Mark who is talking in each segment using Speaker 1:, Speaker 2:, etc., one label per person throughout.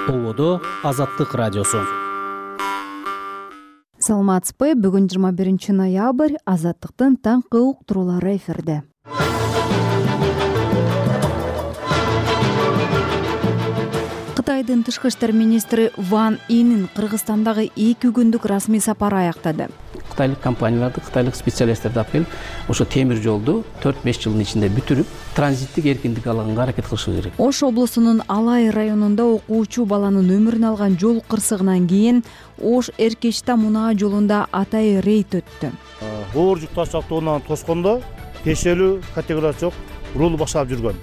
Speaker 1: Ободо Азаттык радиосу.
Speaker 2: Саламатсызбы? Бүгүн 21 ноябрь. Азаттыктын таңкы уктуруулары эфирде. Кытайдын тышкы иштер министри Ван Инин Кыргызстандагы 2 күндүк расмий сапары аяктады.
Speaker 3: Кытайлык компанияларды, кытайлык специалисттерди алып келип, ошо темир жолду 4-5 жылдын ичинде бүтүрүп, транзиттик эркиндик алганга аракет кылышы керек.
Speaker 2: Ош облусунун Алай районунда окуучу баланын өмүрүн алган жол кырсыгынан кийин Ош Эркечта мунаа жолунда атайы рейд өттү.
Speaker 4: Оор жүк таш автоунан тоскондо тиешелүү категориясы жок рулду башкарып жүргөн.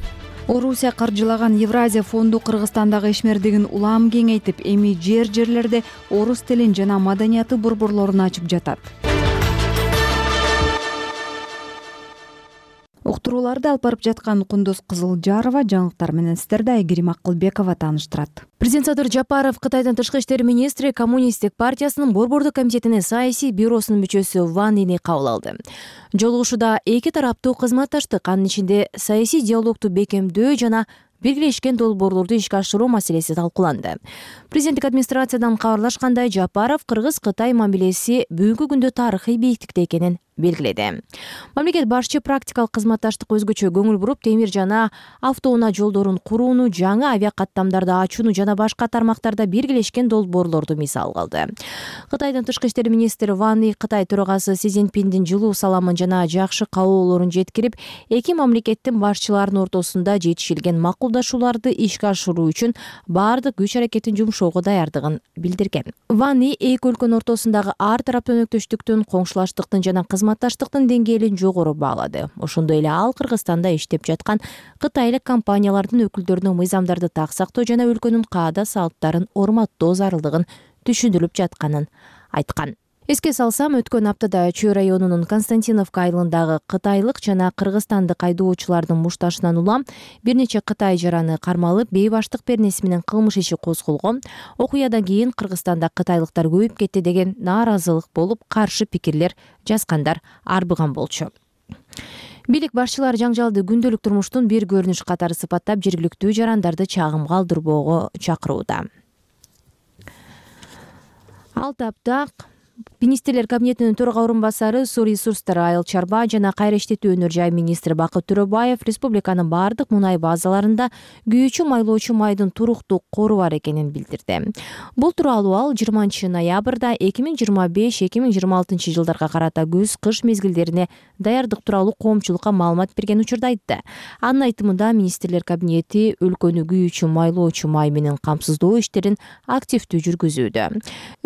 Speaker 2: Орусия каржылаган Евразия фонду Кыргызстандагы ишмердигин улам кеңейтип, эми жерлерде орус тилин жана маданияты борборлорун ачып жатат. Уктурууларды алып барып жаткан Кундуз Кызылжарова, жаңылыктар менен сиздерди Айгерим Акылбекова тааныштырат.
Speaker 5: Президент Садыр Жапаров Кытайдын тышкы иштер министри Коммунисттик партиясынын борбордук комитетинин саясий бюросунун мүчөсү Ван Ини кабыл алды. Жолугушууда эки тараптуу кызматташтык, анын ичинде саясий диалогду бекемдөө жана биргелешкен долбоорлорду ишке ашыруу маселеси талкууланды. Президенттик администрациядан кабарлашкандай, Жапаров Кыргыз-Кытай мамилеси бүгүнкү күндө тарыхый бийиктикте экенин белгиледи. Мамлекет башчы практикалык кызматташтык өзгөчө көңүл буруп, темир жана автоунаа жолдорун курууну, жаңы авиакаттамдарды ачууну жана башка тармактарда биргелешкен долбоорлорду мисал кылды. Кытайдын тышкы иштер министри Ван И Кытай төрагасы Си Цзиньпиндин жылуу саламын жана жакшы кабылоолорун жеткирип, эки мамлекеттин башчыларынын ортосунда жетишилген макулдашууларды ишке ашыруу үчүн баардык күч аракетин жумшоого даярдыгын билдирген. Ван И эки өлкөнүн ортосундагы ар тараптуу өнөктөштүктүн, коңшулаштыктын жана кызматташтыктын деңгээлин жогору баалады. Ошондой эле ал Кыргызстанда иштеп жаткан кытайлык компаниялардын өкүлдөрүнө мыйзамдарды так сактоо жана өлкөнүн каада салттарын урматтоо зарылдыгын түшүндүрүп жатканын айткан. Эске салсам, өткөн аптада Чүй районунун Константиновка айылындагы кытайлык жана кыргызстандык айдоочулардын мушташынан улам бир нече кытай жараны кармалып, бейбаштык беренеси менен кылмыш иши козголгон. Окуядан кийин Кыргызстанда кытайлыктар көбөйүп кетти деген нааразылык болуп, каршы пикирлер жазгандар арбыган болчу. Бийлик башчылары жаңжалды күндөлүк турмуштун бир көрүнүш катары сыпаттап, жергиликтүү жарандарды чагымга алдырбоого чакырууда. Ал тапта Министрлер кабинетинин төрага орун басары Суу ресурстары, айыл чарба жана кайра иштетүү өнөр жай министри Бакыт Төрөбаев республиканын бардык мунай базаларында күйүүчү майлоочу майдын туруктуу кору бар экенин билдирди. Бул тууралуу ал 20 ноябрда 2025-2026 жылдарга карата күз-кыш мезгилдерине даярдык тууралуу коомчулукка маалымат берген учурда айтты. Анын айтымында Министрлер кабинети өлкөнү күйүүчү майлоочу май менен камсыздоо иштерин активдүү жүргүзүүдө.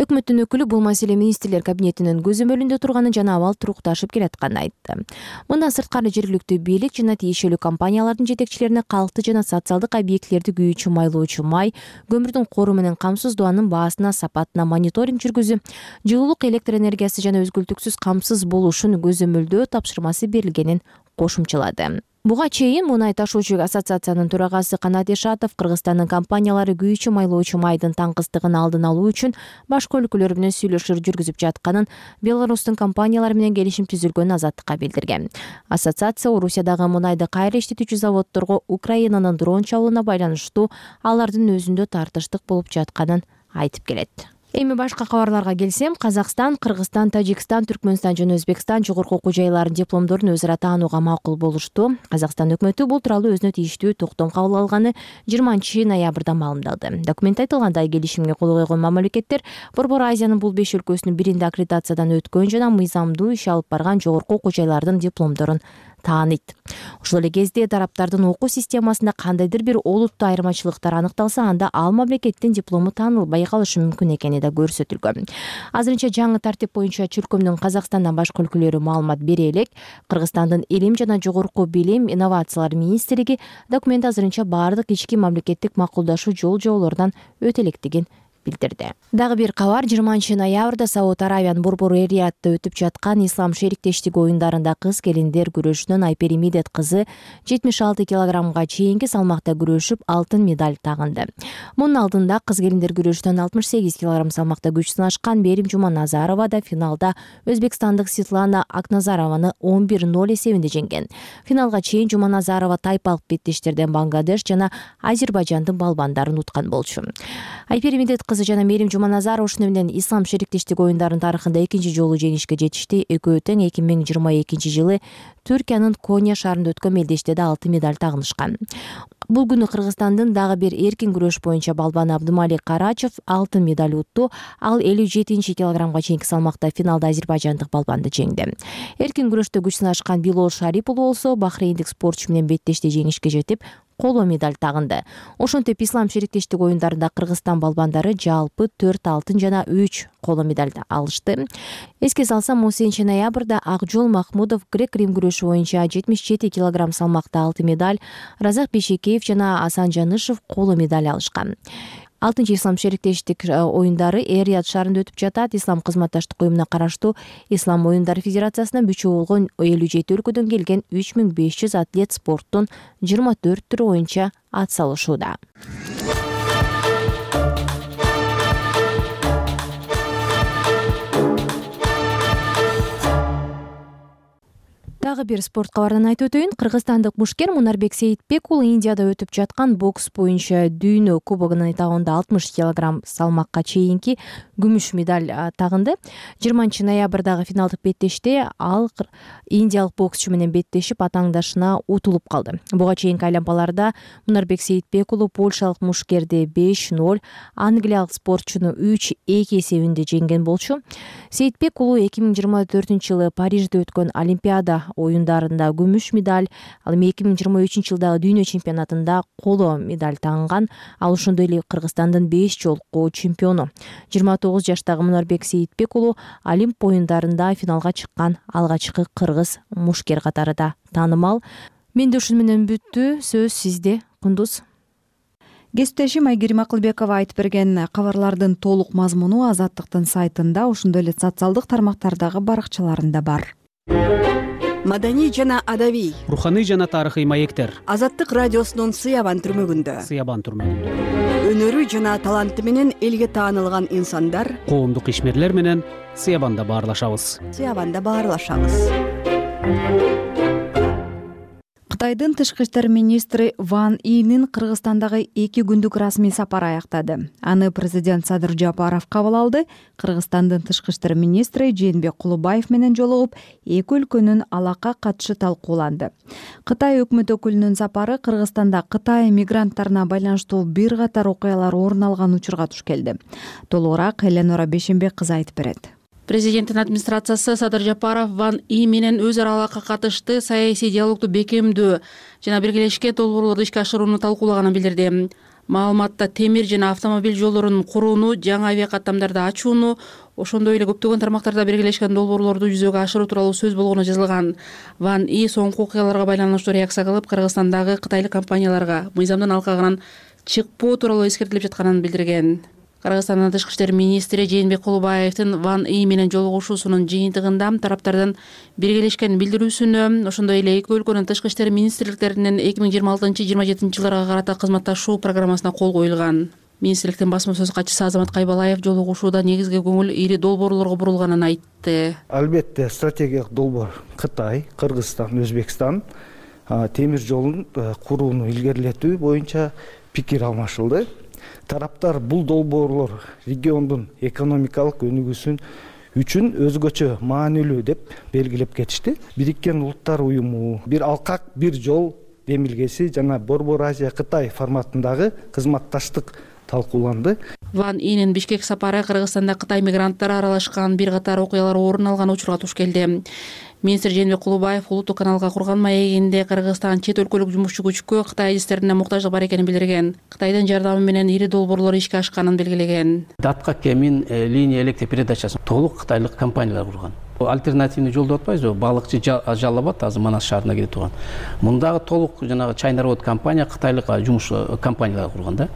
Speaker 5: Өкмөттүн өкүлү бул маселе Министрлер кабинетинин көзөмөлүндө турганын жана абал турукташып келатканын айтты. Мындан сырткары жергиликтүү бийлик жана тиешелүү компаниялардын жетекчилерине калкты жана социалдык объектилерди күйүүчү майлоочу май, көмүрдүн кору менен камсыздоонун баасына, сапатына мониторинг жүргүзүп, жылуулук, электр энергиясы жана өзгөлтүксүз камсыз болушун көзөмөлдөө тапшырмасы берилгенин кошумчалады. Буга чейин Мунай ташуучу ассоциациянын төрагасы Канат Ишатов Кыргызстандын компаниялары күйүүчү майлоочу майдын таңкыстыгын алдын алуу үчүн башка өлкөлөр менен сүйлөшүүлөр жүргүзүп жатканын, Беларустун компаниялары менен келишим түзүлгөнүн Азаттыкка билдирген. Ассоциация Орусиядагы мунайды кайра иштетүүчү заводдорго Украинанын дрон чабуулуна байланыштуу алардын өзүндө тартыштык болуп жатканын айтып келет. Эми башка кабарларга келсем, Казакстан, Кыргызстан, Тажикстан, Түркмөнстан жана Өзбекстан жогорку окуу жайларынын дипломдорун өзара таанууга макул болушту. Казакстан өкмөтү бул тууралуу өзүнө тийиштүү токтом кабыл алганы 20 ноябрда маалымдалды. Документте айтылгандай, келишимге кол койгон мамлекеттер Борбор Азиянын бул 5 өлкөсүнүн биринде аккредитациядан өткөн жана мыйзамдуу иш алып барган жогорку окуу жайлардын дипломдорун тааныйт. Ошол эле кезде тараптардын окуу системасында кандайдыр бир олуттуу айырмачылыктар аныкталса, анда ал мамлекеттин диплому таанылбай калышы мүмкүн экени да көрсөтүлгөн. Азырынча жаңы тартип боюнча чөлкөмдүн Казакстандан башка өлкөлөрү маалымат бере элек. Кыргызстандын Илим жана жогорку билим, инновациялар министрлиги документ азырынча баардык ички мамлекеттик макулдашуу жол-жоболорунан өтө электигин билдирди. Дагы бир кабар: 20-ноябрда Сауд Аравиянын Борбор Эриятта өтүп жаткан Ислам шериктештиги оюндарында кыз келиндер күрөшүнөн Айпери Медет кызы 76 килограммга чейинки салмакта күрөшүп алтын медаль тагынды. Мунун алдында кыз келиндер күрөшүнөн 68 килограмм салмакта күч сынашкан Берим Жуманазарова да финалда өзбекстандык Светлана Акназарованы 11-0 эсебинде жеңген. Финалга чейин Жуманазарова тайпалык беттештерден Бангладеш жана Азербайжандын балбандарын уткан болчу. Айпери Медет кызы жана Мерим Жуманазарова ушуну менен Ислам шериктештиги оюндарынын тарыхында экинчи жолу жеңишке жетишти. Экөө тең 2022 жылы Түркиянын Коня шаарында өткөн мелдеште да алтын медаль тагынышкан. Бул күнү Кыргызстандын дагы бир эркин күрөш боюнча балбаны Абдымалик Карачев алтын медаль утту. Ал 57 килограммга чейинки салмакта финалда азербайжандык балбанды жеңди. Эркин күрөштө күч сынашкан Билол Шарипов болсо бахрейндик спортчу менен беттеште жеңишке жетип, коло медаль тагынды. Ошентип Ислам шериктештиги оюндарында Кыргызстан балбандары жалпы 4 алтын жана 3 коло медаль алышты. Эске салсам, 10-ноябрда Акжол Махмудов грек-рим күрөшү боюнча 77 килограмм салмакта алтын медаль, Разак Бейшекеев жана Асан Жанышев коло медаль алышкан. 6-чы Ислам шериктештик оюндары Эрият шаарында өтүп жатат. Ислам кызматташтык уюмуна караштуу Ислам оюндары федерациясына мүчө болгон 57 өлкөдөн келген 3500 атлет спорттун 24 түрү боюнча ат салышууда. Дагы бир спорт кабарынан айтып өтөйүн. Кыргызстандык мушкер Мунарбек Сейитбек уулу Индияда өтүп жаткан бокс боюнча дүйнө кубогунун этабында 60 килограмм салмакка чейинки күмүш медаль тагынды. 20-ноябрдагы финалдык беттеште ал индиялык боксчу менен беттешип атаңдашына утулуп калды. Буга чейинки айлампаларда Мунарбек Сейитбек уулу польшалык мушкерди 5-0, англиялык спортчуну 3-2 эсебинде жеңген болчу. Сейитбек уулу 2024-жылы Парижде өткөн Олимпиада оюндарында күмүш медаль, ал эми 2023-жылдагы дүйнө чемпионатында коло медаль тагынган. Ал ошондой эле Кыргызстандын 5 жолку чемпиону. 29 жаштагы Мунарбек Сейитбек уулу Олимп оюндарында финалга чыккан алгачкы кыргыз мушкер катары да таанымал. Менде ушуну менен бүттү. Сөз сизде, Кундуз.
Speaker 2: Кесиптешим Айгерим Акылбекова айтып берген кабарлардын толук мазмуну Азаттыктын сайтында, ошондой эле социалдык тармактардагы баракчаларында бар.
Speaker 6: Маданий жана адабий,
Speaker 1: Руханий жана тарыхый маектер
Speaker 6: Азаттык радиосунун Сыябан түрмөгүндө. Өнөрү жана таланты менен элге таанылган инсандар
Speaker 1: коомдук ишмерлер менен Сыябанда баарлашабыз.
Speaker 2: Кытайдын тышкы иштер министри Ван Инин Кыргызстандагы 2 күндүк расмий сапары аяктады. Аны президент Садыр Жапаров кабыл алды. Кыргызстандын тышкы иштер министри Жээнбек Кулубаев менен жолугуп, эки өлкөнүн алака катышы талкууланды. Кытай өкмөт өкүлүнүн сапары Кыргызстанда Кытай мигранттарына байланыштуу бир катар окуялар орун алган учурга туш келди. Толугураак Эленора Бешенбек кызы айтып берет.
Speaker 7: Президенттин администрациясы Садыр Жапаров Ван И менен өз ара алака катышты, саясий диалогду бекемдөө жана биргелешкен долбоорлорду ишке ашырууну талкуулаганын билдирди. Маалыматта темир жана автомобиль жолдорун курууну, жаңы авиакаттамдарды ачууну, ошондой эле көптөгөн тармактарда биргелешкен долбоорлорду жүзөгө ашыруу тууралуу сөз болгону жазылган. Ван И соңку окуяларга байланыштуу реакция кылып, Кыргызстандагы кытайлык компанияларга мыйзамдын алкагынан чыкпоо тууралуу эскертилип жатканын билдирген. Кыргызстандын тышкы иштер министри Жээнбек Кулубаевдин Ван И менен жолугушуусунун жыйынтыгында тараптардын биргелешкен билдирүүсүнө, ошондой эле эки өлкөнүн тышкы иштер министрликтеринин 2026-27 жылдарга карата кызматташуу программасына кол коюлган. Министрликтин басма сөз катчысы Азамат Кайбалаев жолугушууда негизги көңүл ири долбоорлорго бурулганын айтты.
Speaker 4: Албетте стратегиялык долбоор Кытай, Кыргызстан, Өзбекстан темир жолун курууну илгерилетүү боюнча пикир алмашылды. Тараптар бул долбоорлор региондун экономикалык өнүгүүсүн үчүн өзгөчө маанилүү деп белгилеп кетишти. Бириккен Улуттар уюму, бир алкак, бир жол демилгеси жана Борбор Азия Кытай форматындагы кызматташтык талкууланды.
Speaker 7: Ван Инин Бишкек сапары Кыргызстанда Кытай мигранттары аралашкан бир катар окуялар орун алган учурга туш келди. Министр Жээнбек Кулубаев улуттук каналга курган маегинде Кыргызстан чет өлкөлүк жумушчу күчкө Кытай идистерине муктаждык бар экенин билдирген. Кытайдын жардамы менен ири долбоорлор ишке ашканын белгилеген.
Speaker 3: Датка Кемин линия электр передачасын толук кытайлык компаниялар курган. Альтернативный жол деп атпайбызбы, балыкчы Жалал Абад азыр Манас шаарына келе турган. Мундагы толук жанагы Чайнарод компания кытайлык жумуш компаниялар курган да.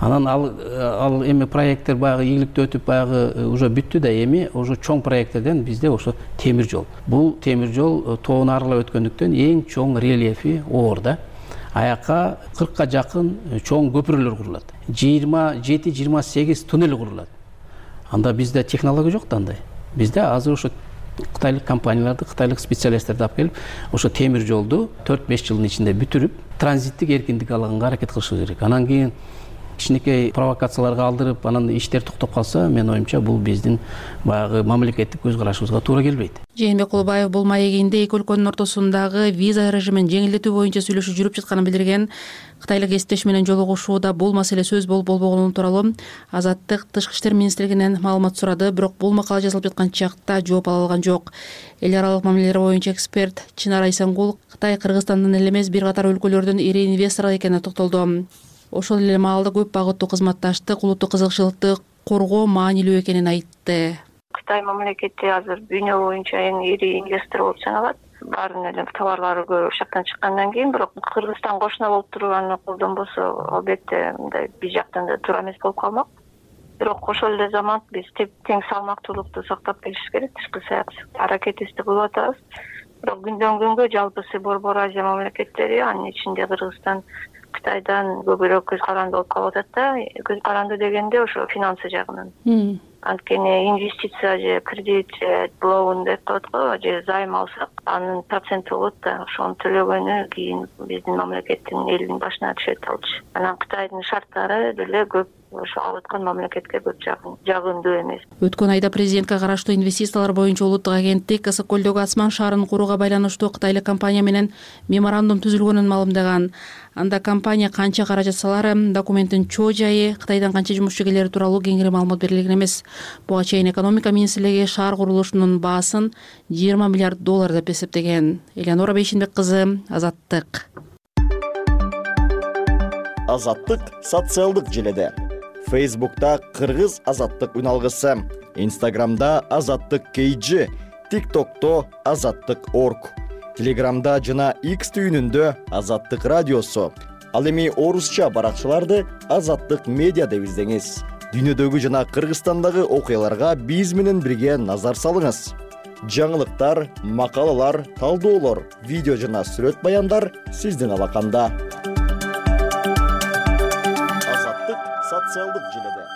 Speaker 3: Анан ал эми проекттер баягы ийгиликтүү өтүп баягы уже бүттү да, эми уже чоң проекттерден бизде ошо темир жол. Бул темир жол тоону аралап өткөндүктөн эң чоң рельефи оор да. Аяка 40ка жакын чоң көпүрөлөр курулат. 27-28 туннель курулат. Анда бизде технология жок да андай. Бизде азыр ошо кытайлык компанияларды, кытайлык специалисттерди алып келип, ошо темир жолду 4-5 жылдын ичинде бүтүрүп, транзиттик эркиндик алганга аракет кылышыбыз керек. Анан кийин кичинекей провокацияларга алдырып, анан иштер токтоп калса, менин оюмча бул биздин баягы мамлекеттик көз карашыбызга туура келбейт.
Speaker 7: Жээнбек Кулубаев бул маегинде эки өлкөнүн ортосундагы виза режимин жеңилдетүү боюнча сүйлөшүү жүрүп жатканын билдирген. Кытайлык кесиптеши менен жолугушууда бул маселе сөз болуп болбогону тууралуу Азаттык Тышкы иштер министрлигинен маалымат сурады, бирок бул макала жазылып жаткан чакта жооп ала алган жок. Эл аралык мамилелер боюнча эксперт Чынар Айсангул Кытай Кыргызстандан эле эмес бир катар өлкөлөрдүн ири инвесторлор экенине токтолду. Ошол эле маалда көп багыттуу кызматташтык, улуттук кызыкчылыкты коргоо маанилүү экенин айтты.
Speaker 8: Кытай мамлекети азыр дүйнө боюнча эң ири инвестор болуп саналат. Баарын эле товарлары көп ошол жактан чыккандан кийин, бирок Кыргызстан кошуна болуп турганын колдонбосо, албетте мындай биз жактан да туура эмес болуп калмак. Бирок ошол эле заман биз тең салмактуулукту сактап келишибиз керек, тышкы саясатта аракетибизди кылып атабыз. Бирок күндөн күнгө жалпысы Борбор Азия мамлекеттери, анын ичинде Кыргызстан Кытайдан көбүрөөк көз каранды болуп калып атат да. Көз каранды дегенде ошо финансы жагынан. Анткени инвестиция же кредит же лоун деп коет го, же займ алсак, анын проценти болот да. Ошону төлөгөнү кийин биздин мамлекеттин элдин башына түшөт алчы. Анан Кытайдын шарттары деле көп ошо алып аткан мамлекетке көп жагымдуу эмес.
Speaker 7: Өткөн айда президентке караштуу инвестициялар боюнча улуттук агенттик Ысык көлдөгү Асман шаарын курууга байланыштуу кытайлык компания менен меморандум түзүлгөнүн маалымдаган. Анда компания канча каражат салары, документтин чоо жайы, Кытайдан канча жумушчу келери тууралуу кеңири маалымат берилген эмес. Буга чейин экономика министрлиги шаар курулушунун баасын $20 миллиард деп эсептеген. Элеонора Бейшенбек кызы, Азаттык.
Speaker 9: Азаттык социалдык желеде. Facebook'ta Кыргыз Азаттык үналгысы, Instagram'da Азаттык KG, TikTok'ta Азаттык.org, Telegram'da жана X түйүнүндө Азаттык радиосу. Ал эми орусча баракчаларды Азаттык медиа деп издеңиз. Дүйнөдөгү жана Кыргызстандагы окуяларга биз менен бирге назар салыңыз. Жаңылыктар, макалалар, талдоолор, видео жана сүрөт баяндар сиздин алаканда. Азаттык социалдык желеде.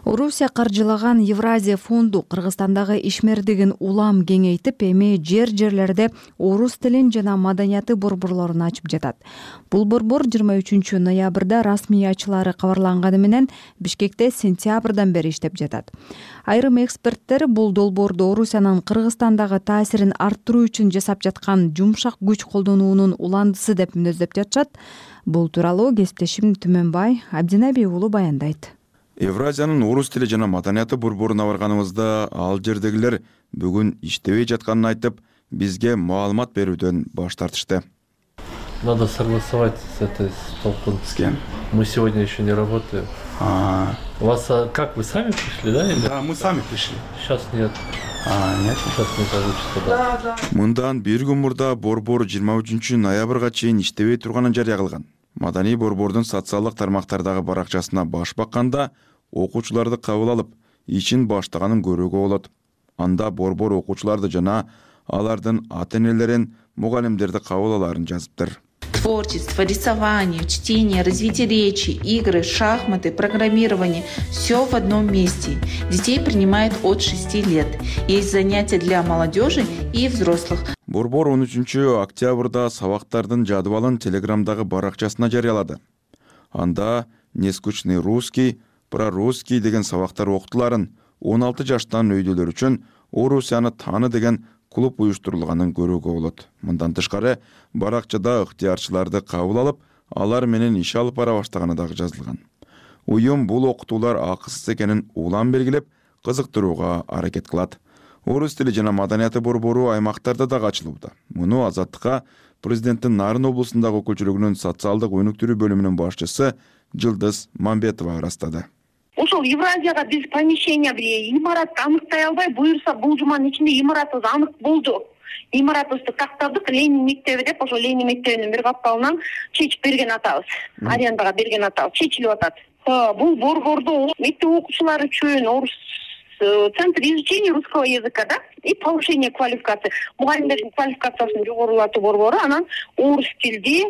Speaker 2: Орусия каржылаган Евразия фонду Кыргызстандагы ишмердигин улам кеңейтип, эми жерлерде орус тилин жана маданияты борборлорун ачып жатат. Бул борбор 23 ноябрда расмий ачылары кабарланганы менен Бишкекте сентябрдан бери иштеп жатат. Айрым эксперттер бул долбоорду Орусиянын Кыргызстандагы таасирин арттыруу үчүн жасап жаткан жумшак күч колдонуунун уландысы деп мүнөздөп жатышат. Бул тууралуу кесиптешим Түмөнбай Абдинаби уулу баяндайт.
Speaker 10: Евразиянын орус тили жана маданияты борборуна барганыбызда ал жердегилер бүгүн иштебей жатканын айтып, бизге маалымат берүүдөн баш тартышты.
Speaker 11: Надо согласовать с этой толком.
Speaker 10: С кем?
Speaker 11: Мы сегодня еще не работаем. У вас как, вы сами пришли, да? Или?
Speaker 10: Да, мы сами пришли.
Speaker 11: Сейчас нет.
Speaker 10: Нет?
Speaker 11: Сейчас не получится, да.
Speaker 10: Мындан бир күн мурда борбор 23 ноябрга чейин иштебей турганын жарыя кылган. Маданий борбордун социалдык тармактардагы баракчасына баш бакканда окуучуларды кабыл алып, ишин баштаганын көрүүгө болот. Анда борбор окуучуларды жана алардын ата-энелерин, мугалимдерди кабыл алаарын жазыптыр.
Speaker 12: Творчество, рисование, чтение, развитие речи, игры, шахматы, программирование – все в одном месте. Детей принимают от 6 лет. Есть занятия для молодежи и взрослых.
Speaker 10: Борбор 13 октябрда сабактардын жадыбалын Телеграмдагы баракчасына жарыялады. Анда нескучный русский, прорусский деген сабактар окутуларын 16 жаштан өйдөлөр үчүн Орусияны тааны деген клуб уюштурулганын көрүүгө болот. Мындан тышкары баракчада ыктыярчыларды кабыл алып, алар менен иш алып бара баштаганы дагы жазылган. Уюм бул окутуулар акысыз экенин улам белгилеп, кызыктырууга аракет кылат. Орус тили жана маданияты борбору аймактарда дагы ачылууда. Муну Азаттыкка президенттин Нарын облусундагы өкүлчүлүгүнүн социалдык өнүктүрүү бөлүмүнүн башчысы Жылдыз Мамбетова ырастады.
Speaker 13: ошол Евразияга биз помещение бир имаратты аныктай албай, буюрса бул жуманын ичинде имаратыбыз анык болду. Имаратыбызды тактадык, Ленин мектеби деп, ошол Ленин мектебинин бир капталынан чечип берген атабыз. Арендага берген атабыз чечилип атат. Бул борбордо мектеп окуучулары үчүн орус центр изучения русского языка, да, и повышение квалификации. Мугалимдердин квалификациясын жогорулатуу борбору, анан орус тилди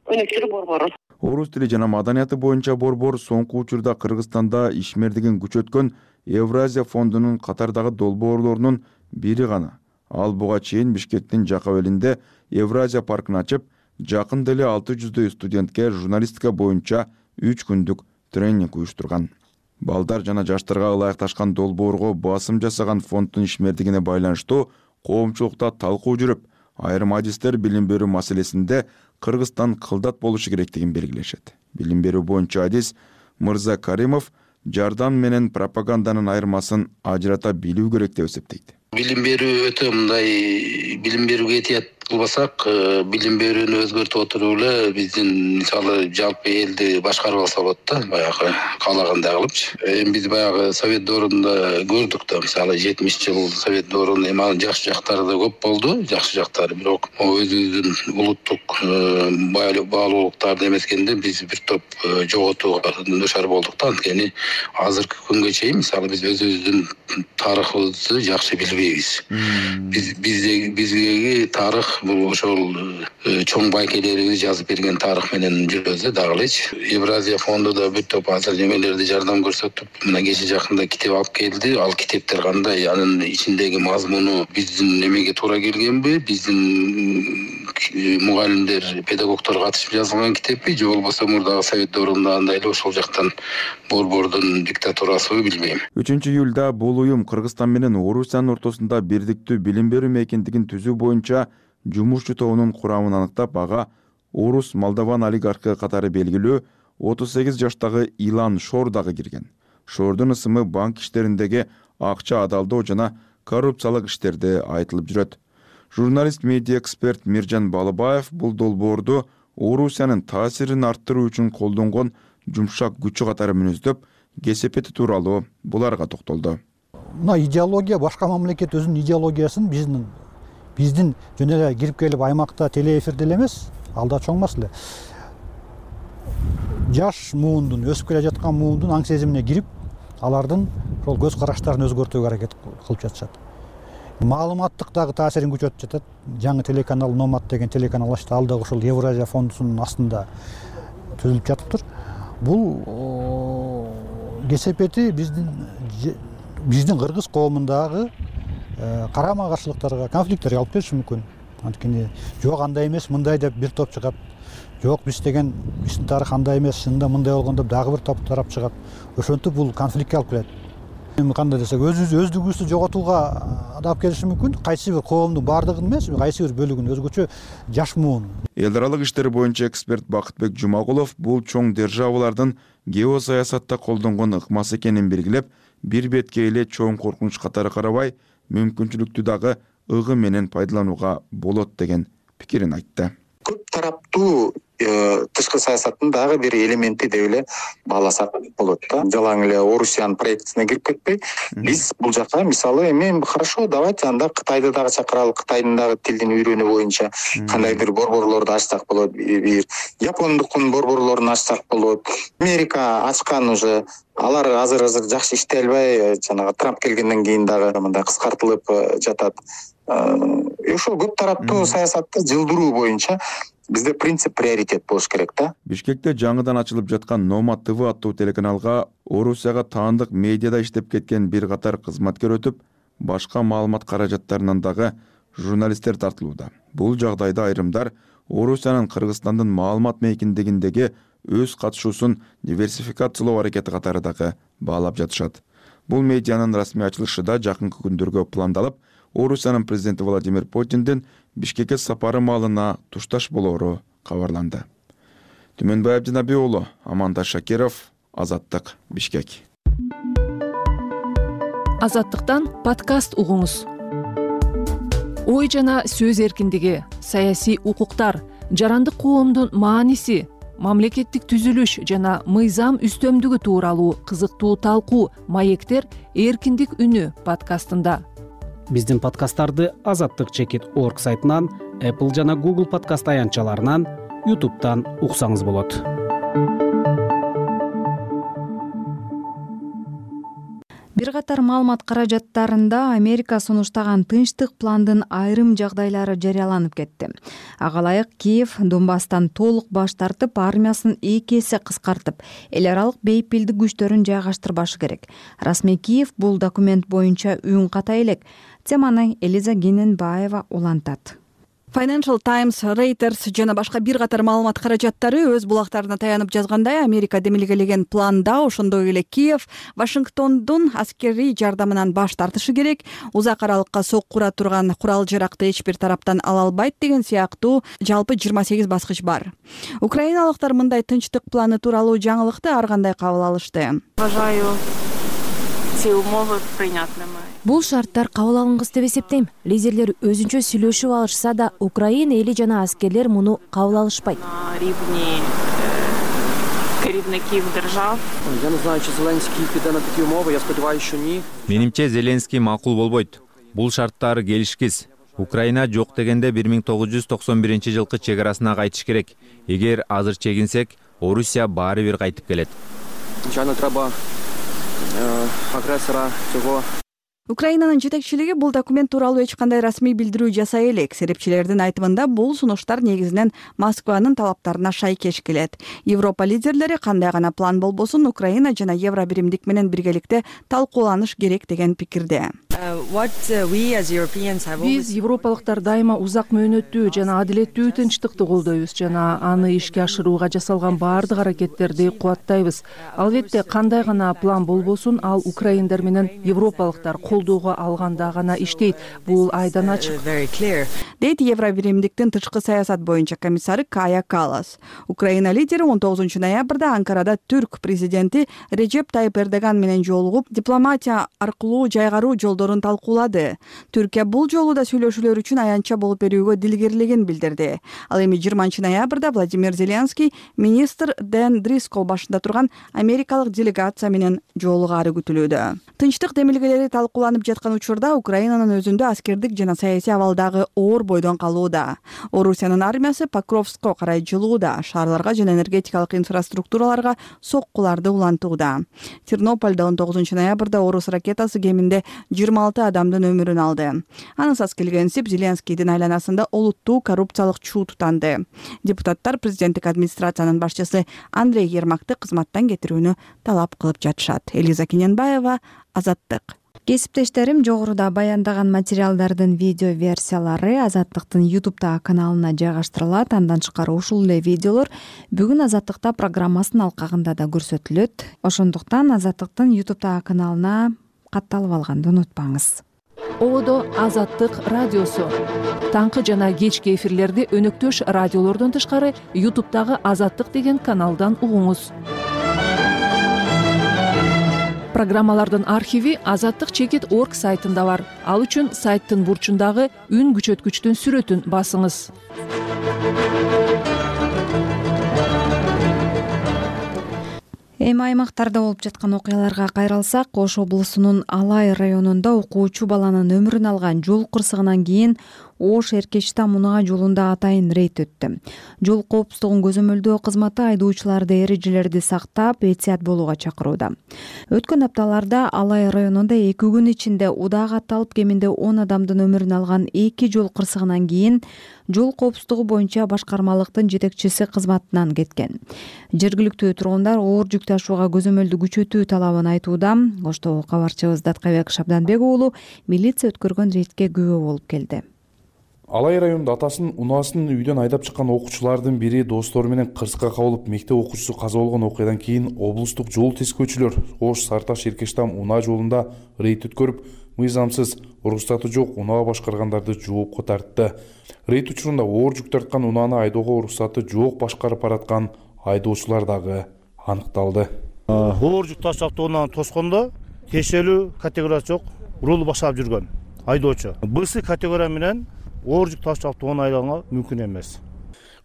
Speaker 13: өнүктүрүү борбору.
Speaker 10: Орус тили жана маданияты боюнча борбор соңку учурда Кыргызстанда ишмердигин күчөткөн Евразия фондунун катардагы долбоорлорунун бири гана. Ал буга чейин Бишкектин Жакабелинде Евразия паркын ачып, жакын деле 600 студентке журналистика боюнча 3 күндүк тренинг уюштурган. Балдар жана жаштарга ылайыкташкан долбоорго басым жасаган фонддун ишмердигине байланыштуу коомчулукта талкуу жүрүп, айрым адистер билим берүү маселесинде Кыргызстан кылдат болушу керектигин белгилешет. Билим берүү боюнча адис Мырза Каримов жардам менен пропаганданын айырмасын ажырата билүү керек деп эсептейт.
Speaker 14: Билим берүү өтө мындай, билим берүүгө этият кылбасак, билим берүүнү өзгөртүп отуруп эле биздин мисалы жалпы элди башкарып алса болот да, баягы каалагандай кылыпчы. Эми биз баягы Совет доорунда көрдүк да, мисалы 70-жыл Совет доорунун эми жакшы жактары да көп болду, жакшы жактары, бирок өзүбүздүн улуттук баалуулуктарды эмескенде биз бир топ жоготууга душар болдук да. Анткени азыркы күнгө чейин мисалы биз өзүбүздүн тарыхыбызды жакшы билбейбиз. Биздеги тарых бул ошол чоң байкелерибиз жазып берген тарых менен жүрөбүз дагы элечи. Евразия фонду да бир топ азыр немелерди жардам көрсөтүп, мына кече жакында китеп алып келди. Ал китептер кандай, анын ичиндеги мазмуну биздин немеге туура келгенби, биздин мугалимдер, педагогдор катышып жазылган китеппи, же болбосо мурдагы Совет доорунда андай эле ошол жактан борбордун диктатурасыбы билбейм.
Speaker 10: 3-июлда бул уюм Кыргызстан менен Орусиянын ортосунда бирдиктүү билим берүү мейкиндигин түзүү боюнча жумушчу тобунун курамын аныктап, ага орус Молдован олигархы катары белгилүү 38 жаштагы Илан Шор дагы кирген. Шордун ысымы банк иштериндеги акча адалдоо жана коррупциялык иштерде айтылып жүрөт. Журналист, медиа эксперт Миржан Балыбаев бул долбоорду Орусиянын таасирин арттыруу үчүн колдонгон жумшак күчү катары мүнөздөп, кесепети тууралуу буларга токтолду.
Speaker 15: Мына идеология, башка мамлекет өзүнүн идеологиясын биздин жөн эле кирип келип аймакта телеэфирде эле эмес, ал да чоң маселе. Жаш муундун, өсүп келе жаткан муундун аң сезимине кирип, алардын ошол көз караштарын өзгөртүүгө аракет кылып жатышат. Маалыматтык дагы таасирин күчөтүп жатат. Жаңы телеканал Номад деген телеканал ачты, ал дагы ошол Евразия фондунун астында түзүлүп жатыптыр. Бул кесепети биздин кыргыз коомундагы карама каршылыктарга, конфликттерге алып келиши мүмкүн. Анткени жок андай эмес, мындай деп бир топ чыгат. Жок биздин тарых андай эмес, чынында мындай болгон деп дагы бир топ тарап чыгат. Ошентип бул конфликтке алып келет. Эми кандай десек, өздүгүбүздү жоготууга алып келиши мүмкүн. Кайсы бир коомдун баардыгын эмес, кайсы бир бөлүгүн, өзгөчө жаш муун.
Speaker 10: Эл аралык иштер боюнча эксперт Бакытбек Жумагулов бул чоң державалардын геосаясатта колдонгон ыкмасы экенин белгилеп, бир бетке эле чоң коркунуч катары карабай, мүмкүнчүлүктү дагы ыгы менен пайдаланууга болот деген пикирин айтты.
Speaker 16: Көп тараптуу тышкы саясаттын дагы бир элементи деп эле бааласак болот да. Жалаң эле Орусиянын проектисине кирип кетпей, биз бул жака мисалы эми хорошо, давайте анда Кытайды дагы чакыралы, Кытайдын дагы тилин үйрөнүү боюнча кандайдыр борборлорду ачсак болот, бир Япондуктун борборлорун ачсак болот. Америка ачкан уже, алар азыр жакшы иштей албай, жанагы Трамп келгенден кийин дагы мындай кыскартылып жатат. Ошол көп тараптуу саясатты жылдыруу боюнча бизде принцип приоритет болуш керек да.
Speaker 10: Бишкекте жаңыдан ачылып жаткан Номад ТВ аттуу телеканалга Орусияга таандык медиада иштеп кеткен бир катар кызматкер өтүп, башка маалымат каражаттарынан дагы журналисттер тартылууда. Бул жагдайда айрымдар Орусиянын Кыргызстандын маалымат мейкиндигиндеги өз катышуусун диверсификациялоо аракети катары дагы баалап жатышат. Бул медианын расмий ачылышы да жакынкы күндөргө пландалып, Орусиянын президенти Владимир Путиндин Бишкекке сапары маалына тушташ болоору кабарланды. Түмөнбай Абдинаби уулу, Амандаш Шакиров, Азаттык, Бишкек.
Speaker 17: Азаттыктан подкаст угуңуз. Ой жана сөз эркиндиги, саясий укуктар, жарандык коомдун мааниси, мамлекеттик түзүлүш жана мыйзам үстөмдүгү тууралуу кызыктуу талкуу «Маектер. Эркиндик үнү» подкастында.
Speaker 1: Биздин подкасттарды azattik.org сайтынан, Apple жана Google подкаст аянтчаларынан, YouTube'дан уксаңыз болот.
Speaker 2: Бир катар маалымат каражаттарында Америка сунуштаган тынчтык пландын айрым жагдайлары жарыяланып кетти. Ага ылайык Киев Донбасстан толук баш тартып, армиясын 2 эсе кыскартып, эл аралык бейпилдик күчтөрүн жайгаштырбашы керек. Расмий Киев бул документ боюнча үн ката элек. Теманы Элиза Гененбаева улантат.
Speaker 6: Financial Times, Reuters жана башка бир катар маалымат каражаттары өз булактарына таянып жазгандай, Америка демилгелеген планда ошондой эле Киев Вашингтондун аскерий жардамынан баш тартышы керек, узак аралыкка соккура турган курал-жаракты эч бир тараптан ала албайт деген сыяктуу жалпы 28 баскыч бар. Украиналыктар мындай тынчтык планы тууралуу жаңылыкты ар кандай кабыл алышты.
Speaker 5: Бул шарттар кабыл алынгыс деп эсептейм. Лидерлер өзүнчө сүйлөшүп алышса да, Украина эли жана аскерлер муну кабыл алышпайт.
Speaker 18: Менимче Зеленский макул болбойт. Бул шарттар келишкиз. Украина жок дегенде 1991-жылкы чегарасына кайтыш керек. Эгер азыр чегинсек, Орусия баары бир кайтып келет.
Speaker 6: Украинанын жетекчилиги бул документ тууралуу эч кандай расмий билдирүү жасай элек. Серепчилердин айтымында бул сунуштар негизинен Москванын талаптарына шайкеш келет. Европа лидерлери кандай гана план болбосун, Украина жана Евро биримдик менен биргеликте талкууланыш керек деген пикирде.
Speaker 17: Биз европалыктар дайыма узак мөөнөттүү жана адилеттүү тынчтыкты колдойбуз жана аны ишке ашырууга жасалган баардык аракеттерди кубаттайбыз. Албетте кандай гана план болбосун, ал украиндар менен европалыктар колдоого алганда гана иштейт. Бул айдан ачык.
Speaker 6: Дейт Евро биримдиктин тышкы саясат боюнча комиссары Кая Каллас. Украина лидери 19 ноябрда Анкарада түрк президенти Режеп Тайып Эрдоган менен жолугуп, дипломатия аркылуу жайгаруу жолдорун талкуулады. Түркия бул жолу да сүйлөшүүлөр үчүн аянтча болуп берүүгө дилгерлигин билдирди. Ал эми 20 ноябрда Владимир Зеленский министр Дэн Дрискол башында турган америкалык делегация менен жолугаары күтүлүүдө. Тынчтык демилгелери талкууланып жаткан учурда Украинанын өзүндө аскердик жана саясий абалдагы оор бойдон калууда. Орусиянын армиясы Покровско карай жылууда, шаарларга жана энергетикалык инфраструктураларга соккуларды улантууда. Тернополдо 19 ноябрда орус ракетасы кеминде 26 адамдын өмүрүн алды. Анысыз келгенсип Зеленскийдин айланасында олуттуу коррупциялык чуу тутанды. Депутаттар президенттик администрациянын башчысы Андрей Ермакты кызматтан кетирүүнү талап кылып жатышат. Элиза Гененбаева, Азаттык.
Speaker 2: Кесиптештерим, жогоруда баяндаган материалдардын видео версиялары Азаттыктын YouTube каналына жайгаштырылат. Андан тышкары ушул эле видеолор бүгүн Азаттыкта программасынын алкагында да көрсөтүлөт. Ошондуктан Азаттыктын YouTube каналына катталып алганды унутпаңыз.
Speaker 17: Ободо Азаттык радиосу. Таңкы жана кечки эфирлерди өнөктөш радиолордон тышкары YouTube'дагы Азаттык деген каналдан угуңуз. Программалардын архиви azattik.org сайтында бар. Ал үчүн сайттын бурчундагы үн күчөткүчтүн сүрөтүн басыңыз.
Speaker 2: Эми аймактарда болуп жаткан окуяларга кайрылсак, Ош облусунун Алай районунда окуучу баланын өмүрүн алган жол кырсыгынан кийин Ош Эркечтам Унаа жолунда атайын рейд өттү. Жол коопсуздугун көзөмөлдөө кызматы айдоочуларды эрежелерди сактап, этият болууга чакырууда. Өткөн апталарда Алай районунда 2 күн ичинде удак атталып кеминде 10 адамдын өмүрүн алган 2 жол кырсыгынан кийин жол коопсуздугу боюнча башкармалыктын жетекчиси кызматынан кеткен. Жергиликтүү тургундар оор жүк ташууга көзөмөлдү күчөтүү талабын айтууда. Оштогу кабарчыбыз Даткабек Шабданбек уулу милиция өткөргөн рейдке күбө болуп келди.
Speaker 19: Алай районунда атасын унаасын үйдөн айдап чыккан окуучулардын бири достору менен кырсыкка кабылып, мектеп окуучусу каза болгон окуядан кийин облустук жол тескөөчүлөр Ош Сарташ Эркечтам Унаа жолунда рейд өткөрүп, мыйзамсыз, уруксаты жок унаа башкаргандарды жоопко тартты. Рейд учурунда оор жүк тарткан унааны айдоого уруксаты жок башкарып бараткан айдоочулар дагы аныкталды.
Speaker 20: Оор жүк таш автоунааны тоскондо тиешелүү категориясы жок рулду башкарып жүргөн айдоочу. БС категория менен оор жүк таш автоунааны айдаганга мүмкүн эмес.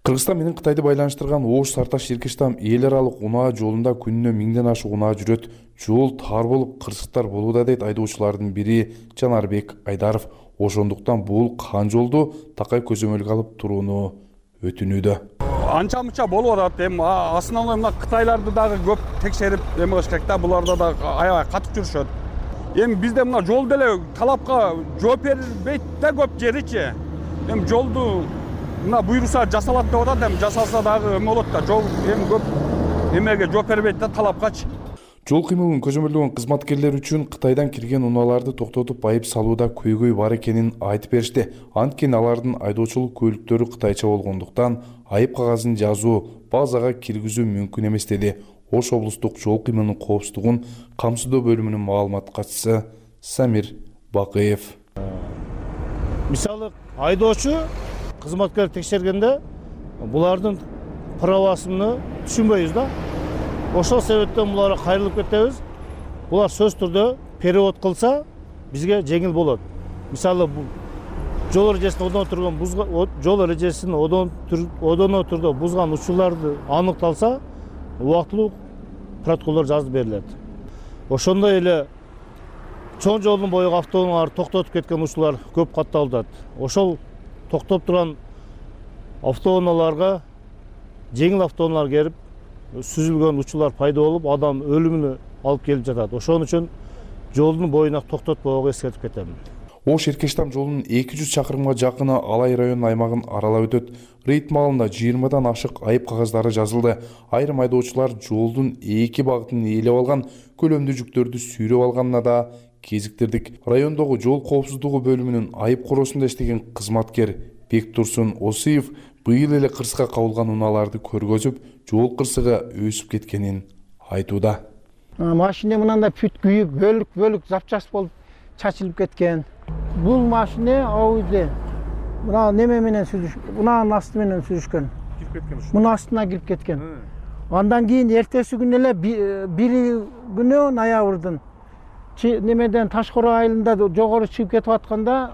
Speaker 19: Кыргызстан менен Кытайды байланыштырган Ош Сарташ Эркештам эл аралык унаа жолунда күнүнө 1000ден ашык унаа жүрөт. Жол тар болуп, кырсыктар болууда дейт айдоочулардын бири Жанарбек Айдаров. Ошондуктан бул кан жолду такай көзөмөлгө алып турууну өтүнүүдө.
Speaker 21: Анча мынча болуп атат. Эми основной мына Кытайларды дагы көп текшерип эме кылыш керек да. Буларда да аябай катык жүрүшөт. Эми бизде мына жол деле талапка жооп бербейт да көп жеричи. Эми жолду мына буйруса жасалат деп атат, эми жасалса дагы эме болот да. Жол эми көп эмеге жооп бербейт да талапкачы.
Speaker 19: Жол кыймылын көзөмөлдөгөн кызматкерлер үчүн Кытайдан кирген унааларды токтотуп айып салууда көйгөй бар экенин айтып беришти. Анткени алардын айдоочулук көлүктөрү кытайча болгондуктан айып кагазын жазуу, базага киргизүү мүмкүн эмес деди. Ош облустук жол кыймылынын коопсуздугун камсыздоо бөлүмүнүн маалымат катчысы Самир Бакыев.
Speaker 20: Мисалы айдоочу кызматкер текшергенде булардын правасын түшүнбөйбүз да. Ошол себептен буларга кайрылып кетебиз. Булар сөз түрдө перевод кылса бизге жеңил болот. Мисалы жол эрежесин одоно түрдө бузган учурларды аныкталса, убактылуу протоколдор жазып берилет. Ошондой эле чоң жолдун боюга автоунааларды токтотуп кеткен учурлар көп катталат. Ошол токтоп турган автоунааларга жеңил автоунаалар келип сүзүлгөн учурлар пайда болуп, адам өлүмүнө алып келип жатат. Ошон үчүн жолдун боюна токтотпоого эскертип кетем.
Speaker 19: Ош Эркештам жолунун 200 чакырымга жакыны Алай районунун аймагын аралап өтөт. Рейд маалында 20дан ашык айып кагаздары жазылды. Айрым айдоочулар жолдун эки багытын ээлеп алган, көлөмдүү жүктөрдү сүйрөп алганына да кезиктирдик. Райондогу жол коопсуздугу бөлүмүнүн айып коросунда иштеген кызматкер Бектурсун Осиев быйыл эле кырсыкка кабылган унааларды көргөзүп, жол кырсыгы өсүп кеткенин айтууда.
Speaker 22: Машина мынандай бүт күйүп, бөлүк запчас болуп чачылып кеткен. Бул машина ауызы мына неме менен сүзүшкөн, мынанын асты менен сүзүшкөн. Кирип кеткен ушул. Мына астына кирип кеткен. Андан кийин эртеси күнү эле 1 күнү ноябрдын немеден Ташкoro айылында жогору чыгып кетип атканда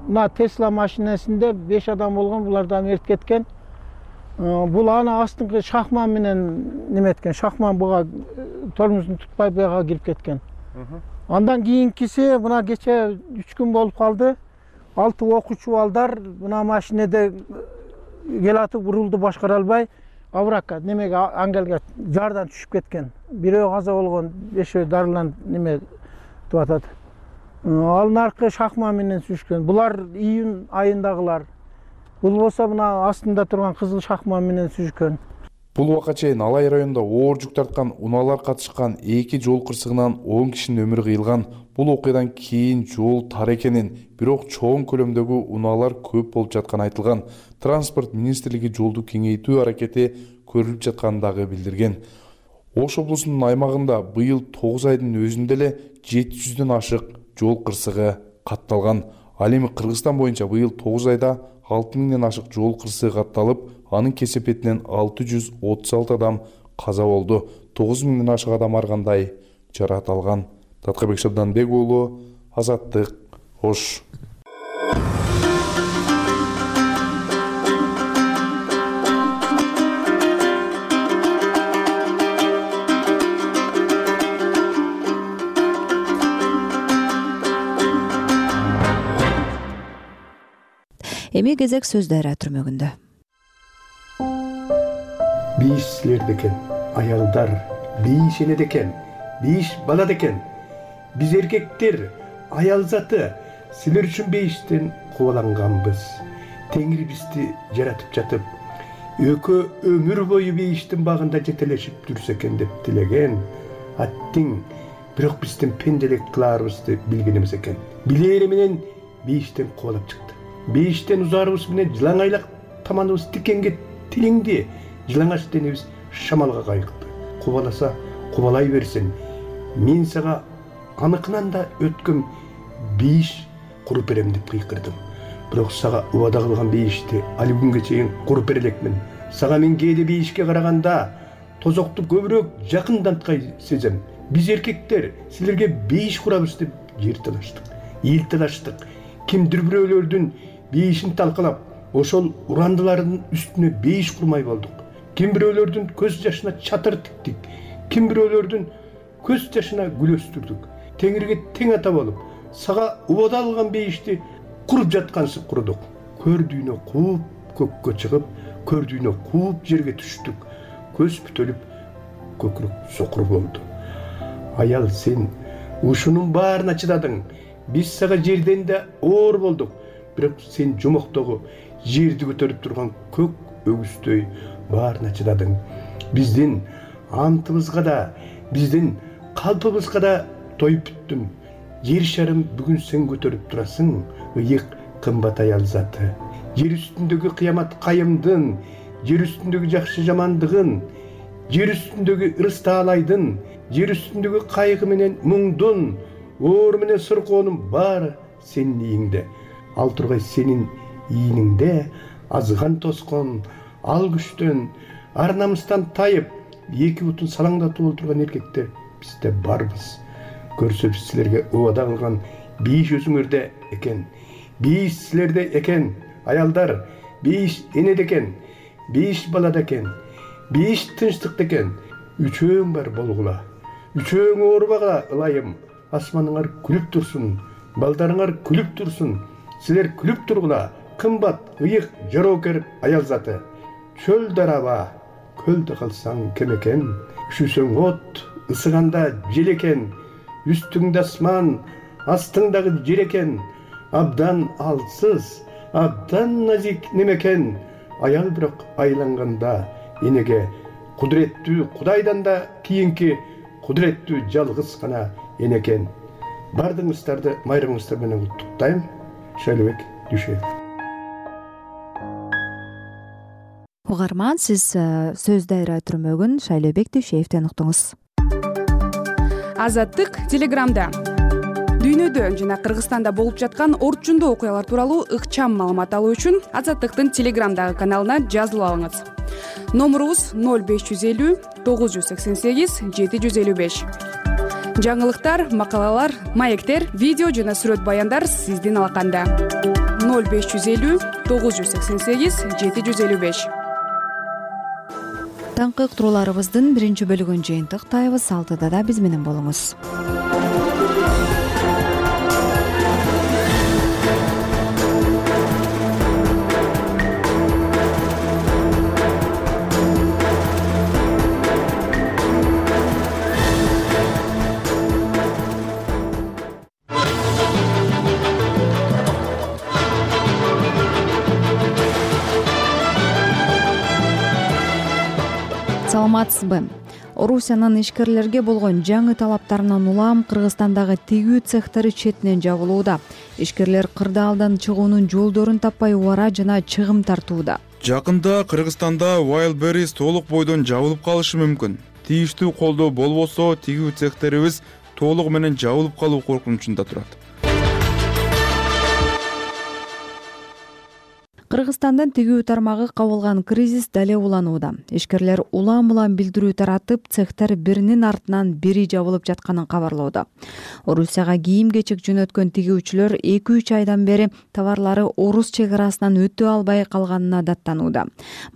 Speaker 22: мына Tesla машинасында 5 адам болгон, булардан эртип кеткен. Бул аны астыңкы шахман менен неметкен, шахман буга тормозун тутпай буга кирип кеткен. Андан кийинкиси мына кече 3 күн болуп калды. 6 окуучу балдар мына машинеде келатып урулду башкара албай, авракка немеге ангелге жардан түшүп кеткен. Бирөө каза болгон, 5өө дарыланып неме деп атат. Ал наркы шахман менен сүзүшкөн. Булар июнь айындагылар. Бул болсо мына астында турган кызыл шахман менен сүзүшкөн.
Speaker 19: Бул убакка чейин Алай районунда оор жүк тарткан унаалар катышкан 2 жол кырсыгынан 10 кишинин өмүрү кыйылган. Бул окуядан кийин жол тар экенин, бирок чоң көлөмдөгү унаалар көп болуп жатканы айтылган. Транспорт министрлиги жолду кеңейтүү аракети көрүлүп жатканын дагы билдирген. Ош облусунун аймагында быйыл 9 айдын өзүндө эле 700дөн ашык жол кырсыгы катталган. Ал эми Кыргызстан боюнча быйыл 9 айда 6000ден ашык жол кырсыгы катталып, анын кесепетинен 636 адам каза болду. 9000ден ашык адам ар кандай жаракат алган. Таткабек Шабданбек уулу, Азаттык, Ош.
Speaker 2: Эми кезек сөздөр түрмөгүндө.
Speaker 23: Бийиш силерде экен, аялдар, бийиш энеде экен, бийиш балада экен. Биз эркектер, аял заты, силер үчүн бейиштен кубаланганбыз. Теңир бизди жаратып жатып, өкө өмүр бою бейиштин багында жетелешип жүрсө экен деп тилеген. Аттиң, бирок биздин пенделик кылаарыбызды билген эмес экен. Билери менен бейиштен кубалап чыкты. Бейиштен узарыбыз менен жылаңайлак таманыбыз тикенге тилиңди. Жылаңач денебиз шамалга кайыкты. Кубаласа кубалай берсин. Мен сага аныкынан да өткөн бейиш куруп берем деп кыйкырдым. Бирок сага убада кылган бейишти али күнгө чейин куруп бере элекмин. Сага мен кээде бейишке караганда тозокту көбүрөөк жакынданткай сезем. Биз эркектер силерге бейиш курабыз деп жер талаштык, эл талаштык. Кимдир бирөөлөрдүн бейишин талкалап, ошол урандылардын үстүнө бейиш курмай болдук. Ким бирөөлөрдүн көз жашына чатыр тиктик, ким бирөөлөрдүн көз жашына гүл өстүрдүк. Теңирге тең ата болуп, сага убада алган бейишти куруп жаткансып курдук. Көрдүйнө кууп көккө чыгып, көрдүйнө кууп жерге түштүк. Көз бүтөлүп, көкүрөк сокур болду. Аял, сен ушунун баарына чыдадың. Биз сага жерден да оор болдук. Бирок сен жомоктогу жерди көтөрүп турган көк өгүздөй баарына чыдадың. Биздин антыбызга да, биздин калпыбызга да тоюп бүттүм. Жер шарым бүгүн сен көтөрүп турасың, ыйык кымбат аял заты. Жер үстүндөгү кыямат кайымдын, жер үстүндөгү жакшы жамандыгын, жер үстүндөгү ырыс таалайдын, жер үстүндөгү кайгы менен муңдун, оор менен сыркоонун баары сенин ийиңде. Ал тургай сенин ийиниңде азган тоскон, ал күчтөн, ар намыстан тайып, эки бутун салаңдатып отурган эркектер бизде барбыз. Көрсөбүз силерге убада кылган бейиш өзүңөрдө экен. Бейиш силерде экен, аялдар. Бейиш энеде экен, бейиш балада экен, бейиш тынчтыкта экен. Үчөөң бар болгула, үчөөң оорубагыла ылайым. Асманыңар күлүп турсун, балдарыңар күлүп турсун. Силер күлүп тургула, кымбат, ыйык, жоокер аял заты. Чөл дараба, көлдө калсаң кем экен. Üşүсөң от, ысыганда жел экен. Үстүңдө асман, астыңдагы жер экен. Абдан алсыз, абдан назик немекен. Аял бирок айланганда энеге кудуреттүү Кудайдан да кийинки кудуреттүү жалгыз гана энекен. Бардыгыңыздарды майрамыңыздар менен куттуктайм. Шайлообек Дүйшөев.
Speaker 2: Угарман, сиз сөз дайра түрмөгүн Шайлообек Дүйшөевден уктуңуз.
Speaker 3: Азаттык Телеграмда дүйнөдө жана Кыргызстанда болуп жаткан орчундуу окуялар тууралуу ыкчам маалымат алуу үчүн Азаттыктын Телеграмдагы каналына жазылып алыңыз. Номурубуз 0550 988 755. Жаңылыктар, макалалар, маектер, видео жана сүрөт баяндар сиздин алаканда. 0550 988 755.
Speaker 2: Таңкы уктурууларыбыздын биринчи бөлүгүн жыйынтыктайбыз. 6-да да биз менен болуңуз. Саламатсызбы? Орусиянын ишкерлерге болгон жаңы талаптарынан улам Кыргызстандагы тигүү цехтери четинен жабылууда. Ишкерлер кырдаалдан чыгуунун жолдорун таппай убара жана чыгым тартууда.
Speaker 10: Жакында Кыргызстанда Wildberries толук бойдон жабылып калышы мүмкүн. Тийиштүү колдоо болбосо, тигүү цехтерибиз толугу менен жабылып калуу коркунучунда турат.
Speaker 2: Кыргызстандын тигүү тармагы кабылган кризис дале уланууда. Ишкерлер улам-улам билдирүү таратып, цехтер биринин артынан бири жабылып жатканын кабарлоодо. Орусияга кийим-кечек жөнөткөн тигүүчүлөр 2-3 айдан бери товарлары Орус чек арасынан өтө албай калганына даттанууда.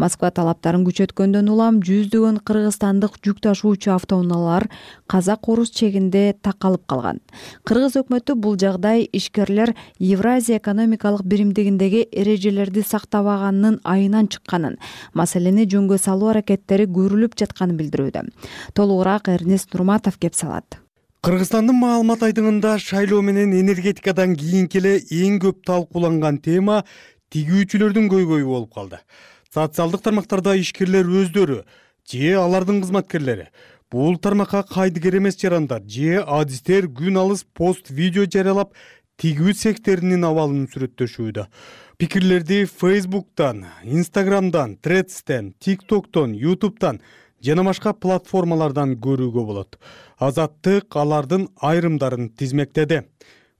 Speaker 2: Москва талаптарын күчөткөндөн улам жүздөгөн кыргызстандык жүк ташуучу автоунаалар казак-орус чегинде такалып калган. Кыргыз өкмөтү бул жагдай ишкерлер Евразия экономикалык биримдигиндеги эрежелерди сактабаганын айынан чыкканын, маселени жөнгө салуу аракеттери көрүлүп жатканын билдирүүдө. Толугураак Эрнест Нурматов кеп салат.
Speaker 4: Кыргызстандын маалымат айдыңында шайлоо менен энергетикадан кийинки эле эң көп талкууланган тема тигүүчүлөрдүн көйгөйү болуп калды. Социалдык тармактарда ишкерлер өздөрү же алардын кызматкерлери бул тармакка кайдыгер эмес жарандар же адистер күн алыс пост видео жарыялап тигүү цехтеринин абалын сүрөттөшүүдө. Пикирлерди Facebook'тан, Instagram'дан, Threads'тен, TikTok'тон, YouTube'тан жана башка платформалардан көрүүгө болот. Азаттык алардын айрымдарын тизмектеди.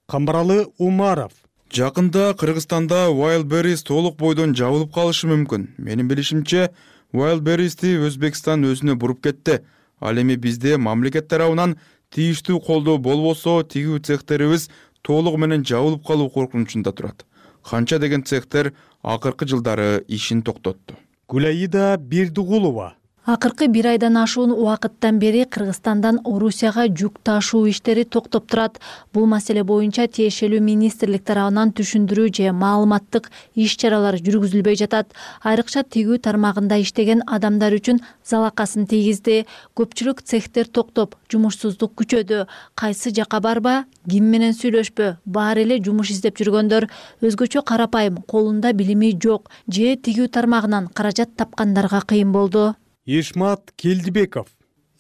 Speaker 4: Камбаралы Умаров.
Speaker 10: Жакында Кыргызстанда Wildberries толук бойдон жабылып калышы мүмкүн. Менин билишимче, Wildberries'ти Өзбекстан өзүнө буруп кетти. Ал эми бизде мамлекет тарабынан тийиштүү колдоо болбосо, тигүү цехтерибиз толугу менен жабылып калуу коркунучунда турат. Канча деген цехтер акыркы жылдары ишин токтотту.
Speaker 4: Гулаида Бердигулова.
Speaker 7: Акыркы 1 айдан ашуун убакыттан бери Кыргызстандан Орусияга жүк ташуу иштери токтоп турат. Бул маселе боюнча тиешелүү министрлик тарабынан түшүндүрүү же маалыматтык иш-чаралар жүргүзүлбөй жатат. Айрыкча тигүү тармагында иштеген адамдар үчүн залакасын тийгизди. Көпчүлүк цехтер токтоп, жумушсуздук күчөдү. Кайсы жака барба, ким менен сүйлөшпө, баары эле жумуш издеп жүргөндөр, өзгөчө карапайым, колунда билими жок же тигүү тармагынан каражат тапкандарга кыйын болду.
Speaker 4: Ишмат Келдибеков.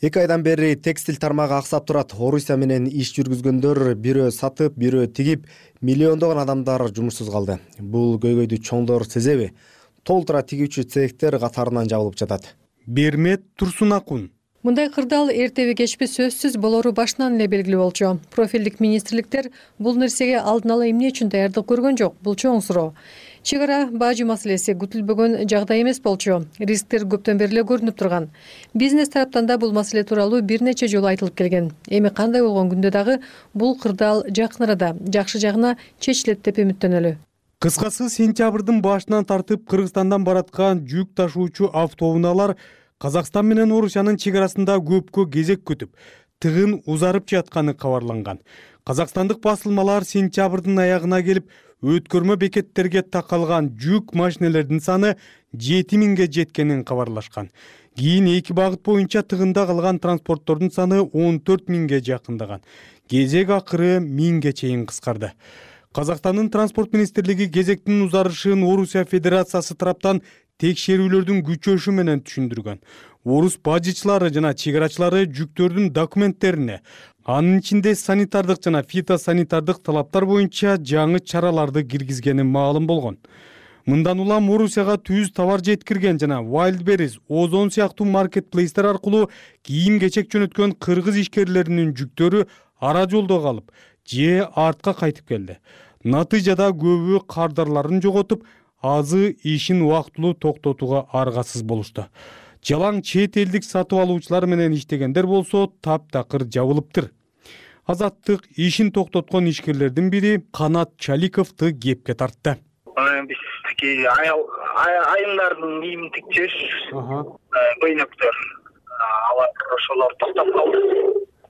Speaker 8: 2 айдан бери текстиль тармагы аксап турат. Орусия менен иш жүргүзгөндөр бирөө сатып, бирөө тигип, миллиондогон адамдар жумушсуз калды. Бул көйгөйдү чоңдор сезеби? Толтура тигүүчү цехтер катарынан жабылып жатат.
Speaker 4: Бермет Турсунакун.
Speaker 9: Мындай кырдаал эртеби кечпи сөзсүз болору башынан эле белгилүү болчу. Профилдик министрликтер бул нерсеге алдын ала эмне үчүн даярдык көргөн жок? Бул чоң суроо. Чек ара бажы маселеси күтүлбөгөн жагдай эмес болчу. Рисктер көптөн бери эле көрүнүп турган. Бизнес тараптан да бул маселе тууралуу бир нече жолу айтылып келген. Эми кандай болгон күндө дагы бул кырдаал жакын арада жакшы жагына чечилет деп үмүттөнөлү.
Speaker 4: Кыскасы, сентябрдын башынан тартып Кыргызстандан бараткан жүк ташуучу автоунаалар Казакстан менен Орусиянын чек арасында көпкө кезек күтүп, тыгын узарып жатканы кабарланган. Казакстандык басылмалар сентябрдын аягына келип, өткөрмө бекеттерге такалган жүк машинелердин саны 7000ге жеткенин кабарлашкан. Кийин 2 багыт боюнча тыгында калган транспорттордун саны 14000ге жакындаган. Кезек акыры 1000ге чейин кыскарды. Казакстандын транспорт министрлиги кезектин узарышын Орусия Федерациясы тараптан текшерүүлөрдүн күчөшү менен түшүндүргөн. Орус бажычылары жана чек-арачылары жүктөрдүн документтерине, анын ичинде санитардык жана фитосанитардык талаптар боюнча жаңы чараларды киргизгени маалым болгон. Мындан улам Орусияга түз товар жеткирген жана Wildberries, Озон сыяктуу маркетплейстер аркылуу кийим-кечек жөнөткөн кыргыз ишкерлеринин жүктөрү ара жолдо калып, же артка кайтып келди. Натыйжада көбү кардарларын жоготуп, азы ишин убактылуу токтотууга аргасыз болушту. Жалаң чет элдик сатып алуучулар менен иштегендер болсо таптакыр жабылыптыр. Азаттык ишин токтоткон ишкерлердин бири Канат Чаликовду кепке тартты.
Speaker 24: Биздики айымдардын кийимин тикчүш, көйнөктөр, алар ошолор токтоп калды.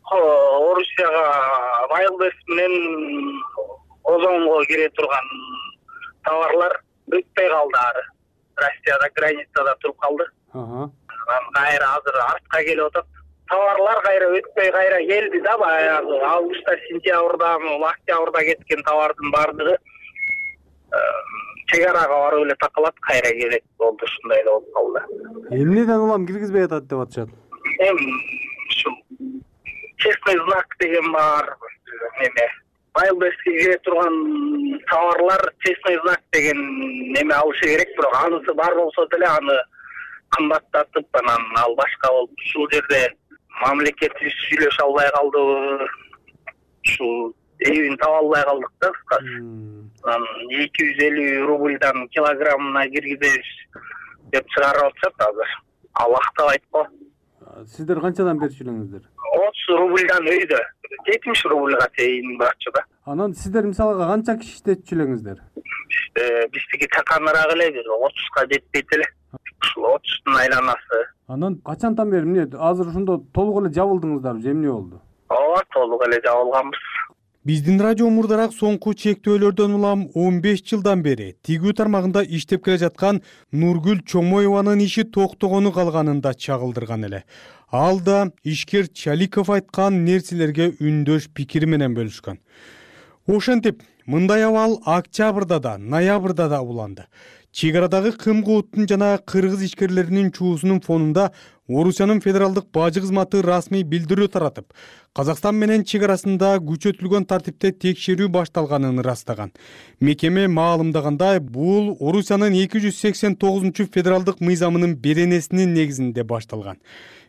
Speaker 24: Орусияга Wildberries менен Озонго кире турган товарлар өтпөй калды ары. Россияда границада туруп калды. Кайра азыр артка келип атат. Товарлар кайра өтпөй кайра келди да, баягы августта, сентябрда, октябрда кеткен товардын баардыгы чек арага барып эле такалат, кайра келет болду, ушундай да болуп калды.
Speaker 4: Эмнеден улам киргизбей атат деп атышат?
Speaker 24: Ушу честный знак деген бар, неме Wildberries'ке кире турган товарлар честный знак деген неме алышы керек, бирок анысы бар болсо деле аны кымбаттатып, анан ал башка болуп, ушул жерде мамлекет сүйлөшө албай калды, ушул эбин таба албай калдык да, кыскасы. Анан 250 рубльдан килограммына киргизебиз деп чыгарып атышат азыр. Ал актабайт го.
Speaker 4: Сиздер канчадан берчү элеңиздер?
Speaker 24: 30 рубльдан өйдө 70 рубльга чейин барчу да.
Speaker 4: Анан сиздер мисалга канча киши иштетчү элеңиздер?
Speaker 24: Биздики таканыраак эле, 30га жетпейт эле. Ушул 30тун айланасы.
Speaker 4: Анан качантан бери эмне азыр ошондо толук эле жабылдыңыздарбы же эмне болду?
Speaker 24: Ооба, толук эле жабылганбыз.
Speaker 4: Биздин радио мурдараак соңку чектөөлөрдөн улам 15 жылдан бери тигүү тармагында иштеп келе жаткан Нургүл Чомоеванын иши токтогону калганын да чагылдырган эле. Ал да ишкер Чаликов айткан нерселерге үндөш пикири менен бөлүшкөн. Ошентип, мындай абал октябрда да, ноябрда да уланды. Чек арадагы кым-кууттун жана кыргыз ишкерлеринин чуусунун фонунда Орусиянын федералдык бажы кызматы расмий билдирүү таратып, Казакстан менен чек арасында күчөтүлгөн тартипте текшерүү башталганын ырастаган. Мекеме маалымдагандай, бул Орусиянын 289 федералдык мыйзамынын беренесинин негизинде башталган.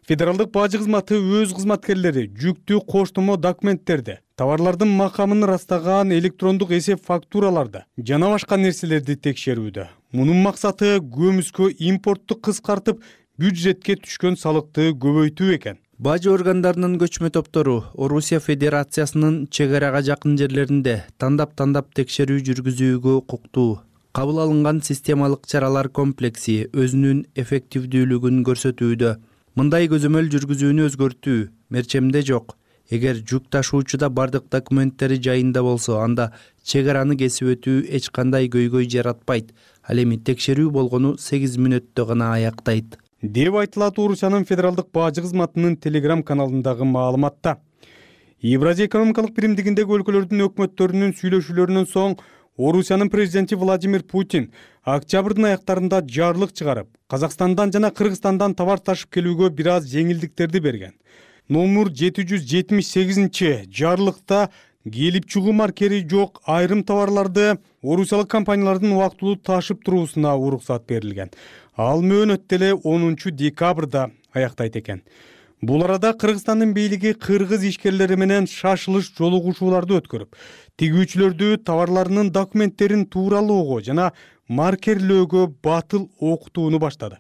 Speaker 4: Федералдык бажы кызматы өз кызматкерлери жүктүү коштомо документтерди, товарлардын макамын ырастаган электрондук эсеп фактураларды жана башка нерселерди текшерүүдө. Мунун максаты көмүскө импортту кыскартып, бюджетке түшкөн салыкты көбөйтүү экен.
Speaker 25: Бажы органдарынын көчмө топтору Орусия Федерациясынын чек арага жакын жерлеринде тандап текшерүү жүргүзүүгө укуктуу. кабыл алынган системалык чаралар комплекси өзүнүн эффективдүүлүгүн көрсөтүүдө. Мындай көзөмөл жүргүзүүнү өзгөртүү мерчемде жок. Эгер жүк ташуучуда бардык документтери жайында болсо, анда чек араны кесип өтүү эч кандай көйгөй жаратпайт. Ал эми текшерүү болгону 8 мүнөттө гана аяктайт,
Speaker 4: деп айтылат Орусиянын федералдык бажы кызматынын Telegram каналындагы маалыматта. Евразия экономикалык биримдигиндеги өлкөлөрдүн өкмөттөрүнүн сүйлөшүүлөрүнөн соң Орусиянын президенти Владимир Путин октябрдын аяктарында жарлык чыгарып, Казакстандан жана Кыргызстандан товар ташып келүүгө бир аз жеңилдиктерди берген. Номер 778 жарлыкта келип чыгуу маркери жок айрым товарларды орусиялык компаниялардын убактылуу ташып туруусуна уруксат берилген. Ал мөөнөт деле 10 декабрда аяктайт экен. Бул арада Кыргызстандын бийлиги кыргыз ишкерлери менен шашылыш жолугушууларды өткөрүп, тигүүчүлөрдү товарларынын документтерин тууралоого жана маркерлөөгө батыл окутууну баштады.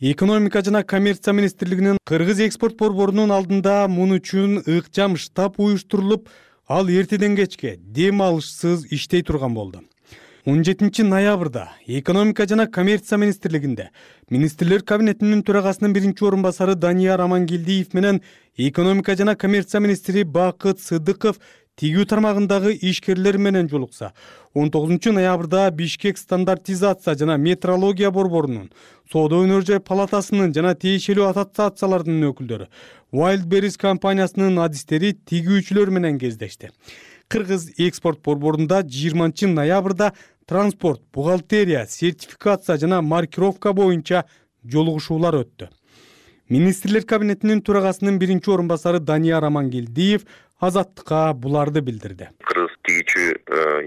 Speaker 4: Экономика жана коммерция министрлигинин Кыргыз экспорт борборунун алдында муну үчүн ыкчам штаб уюштурулуп, ал эртеден кечке дем алышсыз иштей турган болду. 17 ноябрда экономика жана коммерция министрлигинде министрлер кабинетинин төрагасынын биринчи орун басары Данияр Амангелдиев менен экономика жана коммерция министри Бакыт Сыдыков тигүү тармагындагы ишкерлер менен жолукса, 19 ноябрда Бишкек стандартизация жана метрология борборунун, Соода өнөр жай палатасынын жана тиешелүү ассоциациялардын өкүлдөрү, Wildberries компаниясынын адистери тигүүчүлөр менен кездешти. Кыргыз экспорт борборунда 20 ноябрда транспорт, бухгалтерия, сертификация жана маркировка боюнча жолугушуулар өттү. Министрлер кабинетинин төрагасынын биринчи орун басары Данияр Амангелдиев Азаттыкка буларды билдирди.
Speaker 11: Кыргыз тигүүчү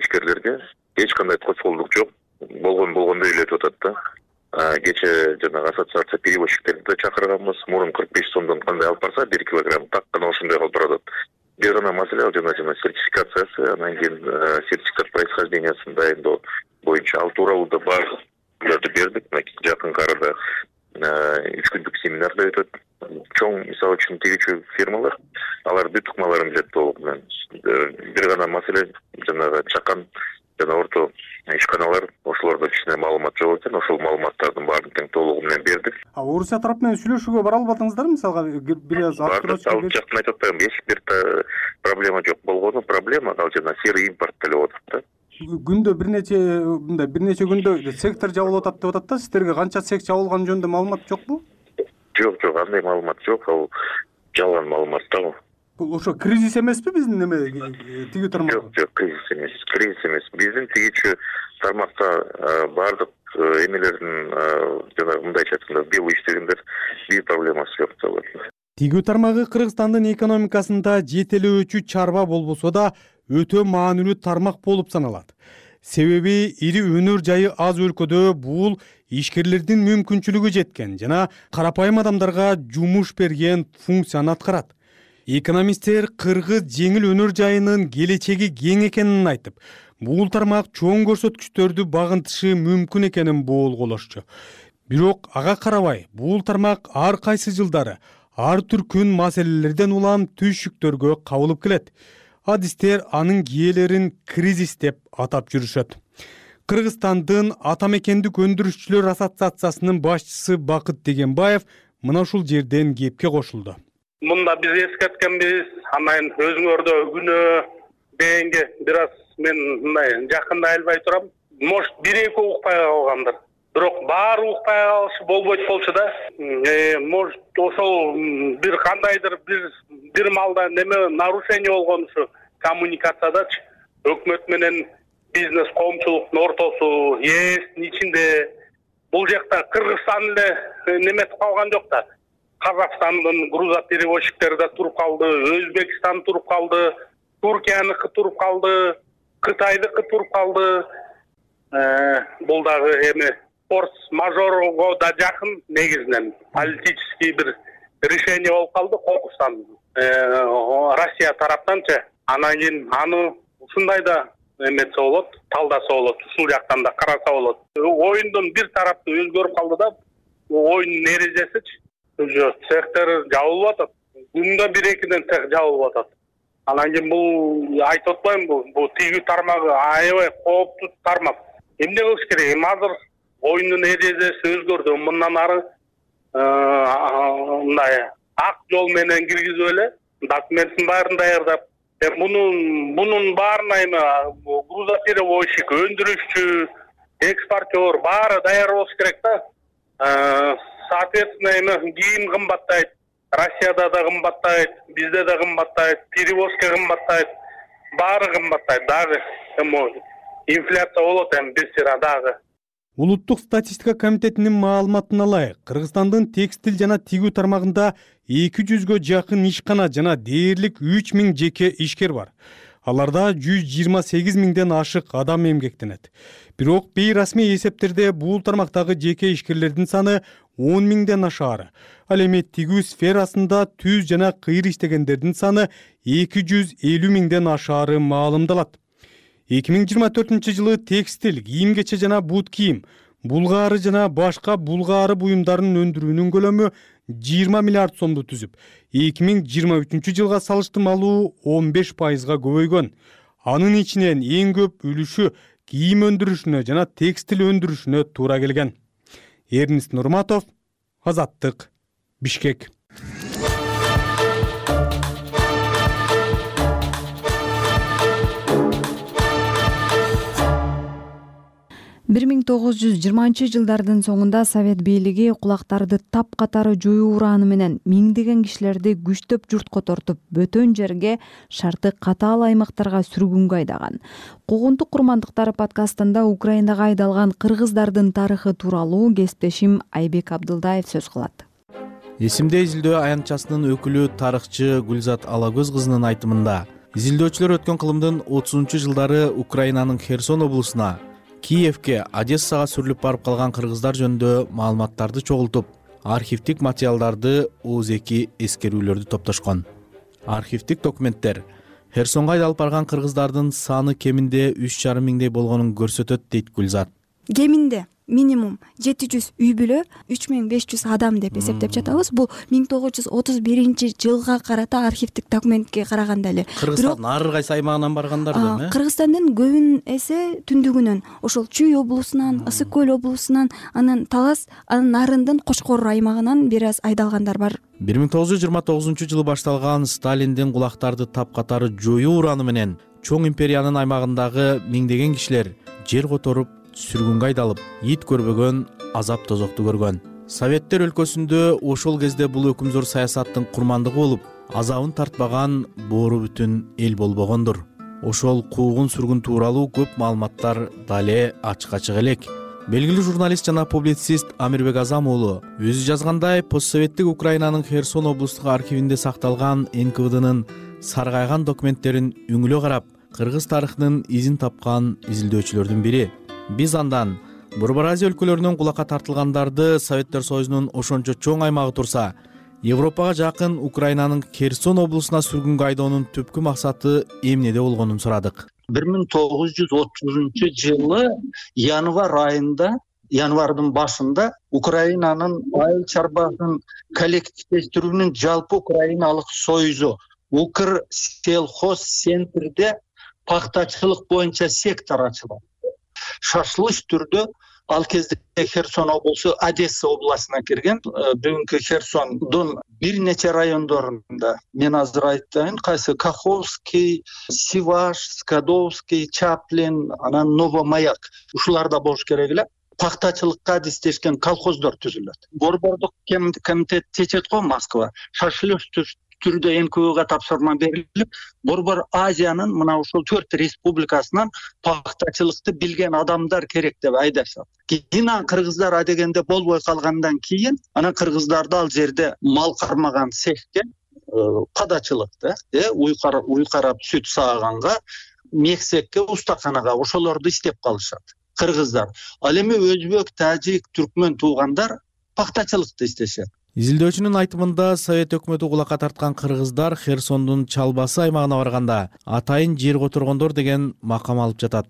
Speaker 11: ишкерлерге эч кандай тосголдук жок. Болгондой эле өтүп атат да. Кече жанагы ассоциация перевозчиктерди да чакырганбыз. Мурун 45 сомдон кандай алып барса 1 килограмм так гана ошондой калып баратат. Бир гана маселе ал жана сертификациясы, анан кийин сертификат происхождениясын дайындоо боюнча ал тууралуу да баардык бердик. Жакынкы арада 3 күндүк семинар да өтөт. Чоң мисалы үчүн тигүүчү фирмалар алар бүт ыкмаларын билет толук менен. Бир гана маселе жанагы чакан жана орто ишканалар ошолордо кичине маалымат жок экен. Ошол маалыматтардын баарын тең толугу менен бердик.
Speaker 4: Орусия тарап менен сүйлөшүүгө бара албадыңыздарбы? Мисалга бир аз
Speaker 11: ал жактан айтып атпаймынбы, эч бир проблема жок болгону, проблема ал жана серый импорт делеп атат да.
Speaker 4: Күндө бир нече күндө сектор жабылып атат деп атат да. Сиздерге канча сек жабылган жөнүндө маалымат жокпу?
Speaker 11: Жок, андай маалымат жок. Ал жалган маалымат да.
Speaker 4: Бул ошо кризис эмеспи биздин неме тигүү тармагы?
Speaker 11: Жок, кризис эмес. Биздин тигүүчү тармакта баардык эмелердин жанагы мындайча айтканда белый иштегендер бир проблемасы жок деп атат.
Speaker 4: Тигүү тармагы Кыргызстандын экономикасында жетелөөчү чарба болбосо да өтө маанилүү тармак болуп саналат. Себеби ири өнөр жайы аз өлкөдө бул ишкерлердин мүмкүнчүлүгү жеткен жана карапайым адамдарга жумуш берген функцияны аткарат. Экономисттер кыргыз жеңил өнөр жайынын келечеги кең экенин айтып, бул тармак чоң көрсөткүчтөрдү багынтышы мүмкүн экенин боолголошчу. Бирок ага карабай, бул тармак ар кайсы жылдары ар түркүн маселелерден улам түйшүктөргө кабылып келет. Адистер анын киелерин кризис деп атап жүрүшөт. Кыргызстандын ата мекендик өндүрүшчүлөр ассоциациясынын башчысы Бакыт Дегенбаев мына ушул жерден кепке кошулду.
Speaker 12: Мында биз эскерткенбиз, анан өзүңөрдө күнөө дегенге бир аз мен мындай жакында албай турам. Может, 1-2 укпай калгандыр. Бирок баары укпай калышы болбойт болчу да. Может, ошол бир кандайдыр бир маалда неме нарушение болгон ушу коммуникациядачы. Өкмөт менен бизнес коомчулуктун ортосу, ээстин ичинде бул жакта Кыргызстан эле неметип калган жок да. Казакстандын грузоперевозчиктери да туруп калды, Өзбекстан туруп калды, Туркияныкы туруп калды, Кытайдыкы туруп калды. Бул дагы эми форс-мажорго да жакын негизинен политический бир решение болуп калды Кокустан, Россия тараптанчы. Анан кийин аны ушундай да эметсе болот, талдаса болот, ушул жактан да караса болот. Оюндун бир тарапты өзгөрүп калды да, оюндун эрежесичи. Цехтер жабылып атат. Күндө 1-2ден цех жабылып атат. Анан кийин бул айтып атпаймынбы, бул тигүү тармагы аябай кооптуу тармак. эмне кылыш керек? Эми азыр оюндун эрежеси өзгөрдү. Мындан ары мындай ак жол менен киргизип эле документин баарын даярдап, бунун баарына эми грузоперевозчик, өндүрүшчү, экспортер баары даяр болуш керек да. Соответственно, эми кийим кымбаттайт, Россияда да кымбаттайт, бизде да кымбаттайт, перевозка кымбаттайт, баары кымбаттайт дагы. Эми инфляция болот эми бесира дагы.
Speaker 4: Улуттук статистика комитетинин маалыматына ылайык, Кыргызстандын текстил жана тигүү тармагында 200гө жакын ишкана жана дээрлик 3000 жеке ишкер бар. Аларда 128 миңден ашык адам эмгектенет. Бирок бейрасмий эсептерде бул тармактагы жеке ишкерлердин саны 10 миңден ашаары. Ал эми тигүү сферасында түз жана кыйыр иштегендердин саны 250 миңден ашаары маалымдалат. 2024 жылы текстил, кийим-кече жана бут кийим, булгаары жана башка булгаары буюмдарын өндүрүүнүн көлөмү 20 миллиард сомду түзүп, 2023 жылга салыштырмалуу 15%га көбөйгөн. Анын ичинен эң көп үлүшү кийим өндүрүшүнө жана текстил өндүрүшүнө туура келген. Эрнест Нурматов, Азаттык, Бишкек.
Speaker 2: 1920 жылдардын соңунда Совет бийлиги кулактарды тапкатары жоюу урааны менен миңдеген кишилерди күчтөп журтко тартып, бөтөн жерге, шарты катаал аймактарга сүргүнгө айдаган. Куугунтук курмандыктары подкастында Украинага айдалган кыргыздардын тарыхы тууралуу кесиптешим Айбек Абдылдаев сөз кылат.
Speaker 1: Эсимде изилдөө аянтчасынын өкүлү тарыхчы Гүлзат Алагөз кызынын айтымында, изилдөөчүлөр өткөн кылымдын 30-жылдары Украинанын Херсон облусуна, Киевке, Одессага сүрүлүп барып калган кыргыздар жөнүндө маалыматтарды чогултуп, архивдик материалдарды ооз-2 эскерүүлөрдү топтошкон. Архивдик документтер Херсонго айдалып барган кыргыздардын саны кеминде 3,5 миңдей болгонун көрсөтөт, дейт Гүлзат.
Speaker 13: Кеминде минимум 700 үй бүлө, 3500 адам деп эсептеп жатабыз. Бул 1931 жылга карата архивдик документке караганда эле.
Speaker 1: Кыргызстандын ар кайсы аймагынан баргандар да?
Speaker 13: Кыргызстандын көбүн эсе түндүгүнөн, ошол Чүй облусунан, Ысык көл облусунан, анан Талас, анын нарындын Кошкор аймагынан бир аз айдалгандар бар.
Speaker 1: 1929 жылы башталган Сталиндин кулактарды тапкатары жоюу урааны менен чоң империянын аймагындагы миңдеген кишилер жер которуп, сүргүнгө айдалып, ит көрбөгөн азап тозокту көргөн. Советтер өлкөсүндө ошол кезде бул өкүмзор саясаттын курмандыгы болуп, азабын тартпаган боору бүтүн эл болбогондур. Ошол куугун сүргүн тууралуу көп маалыматтар дале ачык элек. Белгилүү журналист жана публицист Амирбек Азам уулу өзү жазгандай, постсоветтик Украинанын Херсон облустук архивинде сакталган НКВДнын саргайган документтерин үңүлө карап, кыргыз тарыхынын изин тапкан изилдөөчүлөрдүн бири. Биз андан Борбор Азия өлкөлөрүнөн кулакка тартылгандарды Советтер Союзунун ошончо чоң аймагы турса, Европага жакын Украинанын Херсон облусуна сүргүнгө айдоонун түпкү максаты эмнеде болгонун сурадык.
Speaker 14: 1930 жылы январь айында, январдын башында Украинанын айыл чарбасын коллективдештирүүнүн жалпы Украиналык союзу Укрсельхоз центрде пактачылык боюнча сектор ачылат. Шашылыш түрдө ал кезде Херсон облусу Одесса областына кирген. Бүгүнкү Херсондун бир нече райондорунда, мен азыр айтайын, кайсы Каховский, Сиваш, Скадовский, Чаплин, анан Новомаяк, ушуларда болуш керек эле. Пактачылыкка адистешкен колхоздор түзүлөт. Борбордук комитет чечет го Москва. Шашылыш түрдө НКВДга тапшырма берилип, Борбор Азиянын мына ушул 4 республикасынан пактачылыкты билген адамдар керек деп айдашат. Кийин кыргыздар адегенде болбой калгандан кийин, анан кыргыздарды ал жерде мал кармаган цехке, кадачылыкты, уй карап сүт сааганга, мексекке, устаканага ошолорду иштеп калышат кыргыздар. Ал эми өзбек, тажик, түркмөн туугандар пактачылыкты иштешет.
Speaker 1: Изилдөөчүнүн айтымында Совет өкмөтү кулакка тарткан кыргыздар Херсондун чалбасы аймагына барганда атайын жер которгондор деген макам алып жатат.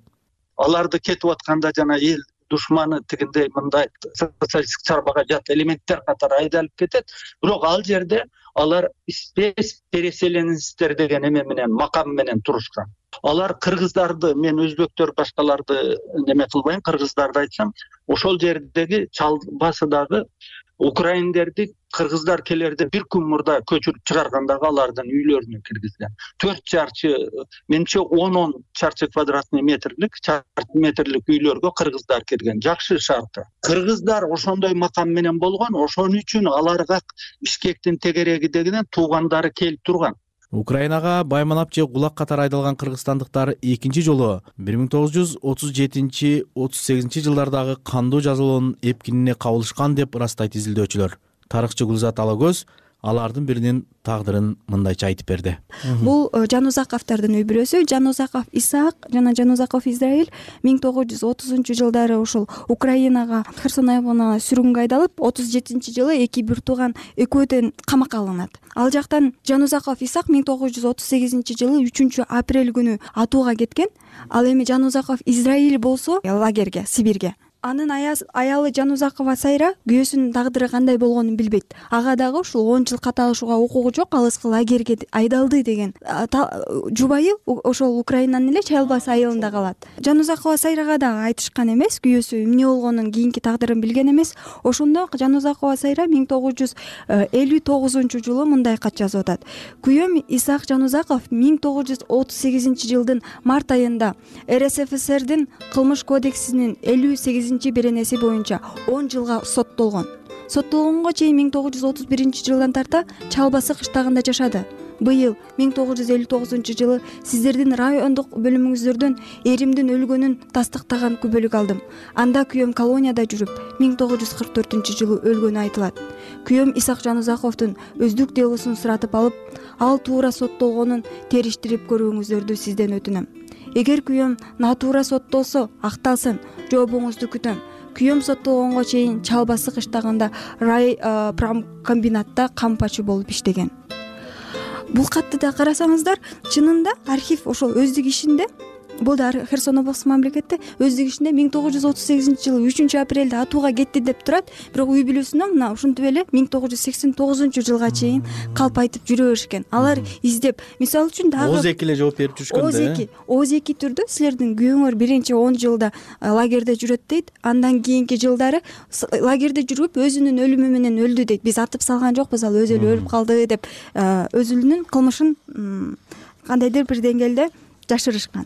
Speaker 14: Аларды кетип атканда жана эл душманы тигиндей мындай социалисттик чарбага жат элементтер катары айдалып кетет. Бирок ал жерде алар спец переселенецтер деген эме менен макам менен турушкан. Алар кыргыздарды, мен өзбектөр башкаларды неме кылбайм, кыргыздарды айтсам, ошол жердеги чалбасыдагы украиндерди кыргыздар келерде бир күн мурда көчүрүп чыгаргандагы алардын үйлөрүнө киргизген. 4 чарчы, менимче 10 чарчы квадратный метрлик үйлөргө кыргыздар кирген. Жакшы шарты. Кыргыздар ошондой макам менен болгон, ошон үчүн аларга Бишкектин тегерегидегинен туугандары келип турган.
Speaker 1: Украинага байманап же кулак катар айдалган кыргызстандыктар экинчи жолу 1937-38 жылдардагы кандуу жазалоонун эпкинине кабылышкан деп ырастайт изилдөөчүлөр. Тарыхчы Гүлзат Алагөз алардын биринин тагдырын мындайча айтып берди.
Speaker 13: Бул Жанузаковдордун үй бүлөсү, Жанузаков Исаак жана Жанузаков Израиль 1930 ушул Украинага Херсон аймагына сүргүнгө айдалып, 37-жылы эки бир тууган экөөдөн камакка алынат. Ал жактан Жанузаков Исаак 1938-жылы 3-апрель күнү атууга кеткен. Ал эми Жанузаков Израиль болсо лагерге, Сибирге. Анын аялы Жанузакова Сайра күйөөсүнүн тагдыры кандай болгонун билбейт. Ага дагы ушул 10 жыл каталышууга укугу жок, алыскы лагерге айдалды деген жубайы ошол Украинанын эле Чайлбас айылында калат. Жанузакова Сайрага дагы айтышкан эмес, күйөөсү эмне болгонун, кийинки тагдырын билген эмес. Ошондо Жанузакова Сайра 1959-жылы мындай кат жазып атат. Күйөөм Исаак Жанузаков 1938-жылдын март айында РСФСРдин кылмыш кодексинин 58 беренеси боюнча 10 жылга соттолгон. Соттолгонго чейин 1931-жылдан тарта Чалбасы кыштагында жашады. Быйыл 1959-жылы сиздердин райондук бөлүмүңүздөрдөн эримдин өлгөнүн тастыктаган күбөлүк алдым. Анда күйөөм колонияда жүрүп, 1944-жылы өлгөнү айтылат. Күйөөм Исаак Жанузаковдун өздүк делосун суратып алып, ал туура соттолгонун териштирип көрүүңүздөрдү сизден өтүнөм. Эгер күйөөм натуура соттолсо, акталсын, жообуңузду күтөм. Күйөөм соттолгонго чейин Чалбасы кыштагында рай промкомбинатта кампачы болуп иштеген. Бул катты да карасаңыздар, чынында архив ошол өздүк ишинде, бул да Херсон облусу мамлекетте өздүк ишинде 1938-жылы 3-апрелде атууга кетти деп турат, бирок үй бүлөсүнө мына ушинтип эле 1989-жылга чейин калп айтып жүрө беришкен. Алар издеп, мисалы үчүн дагы
Speaker 1: ооз-эки эле жооп берип жүрүшкөн да.
Speaker 13: ооз-эки түрдө силердин күйөөңөр биринчи 10 жылда лагерде жүрөт дейт, андан кийинки жылдары лагерде жүрүп өзүнүн өлүмү менен өлдү дейт. Биз атып салган жокпуз, ал өзү эле өлүп калды деп өзүнүн кылмышын кандайдыр бир деңгээлде жашырышкан.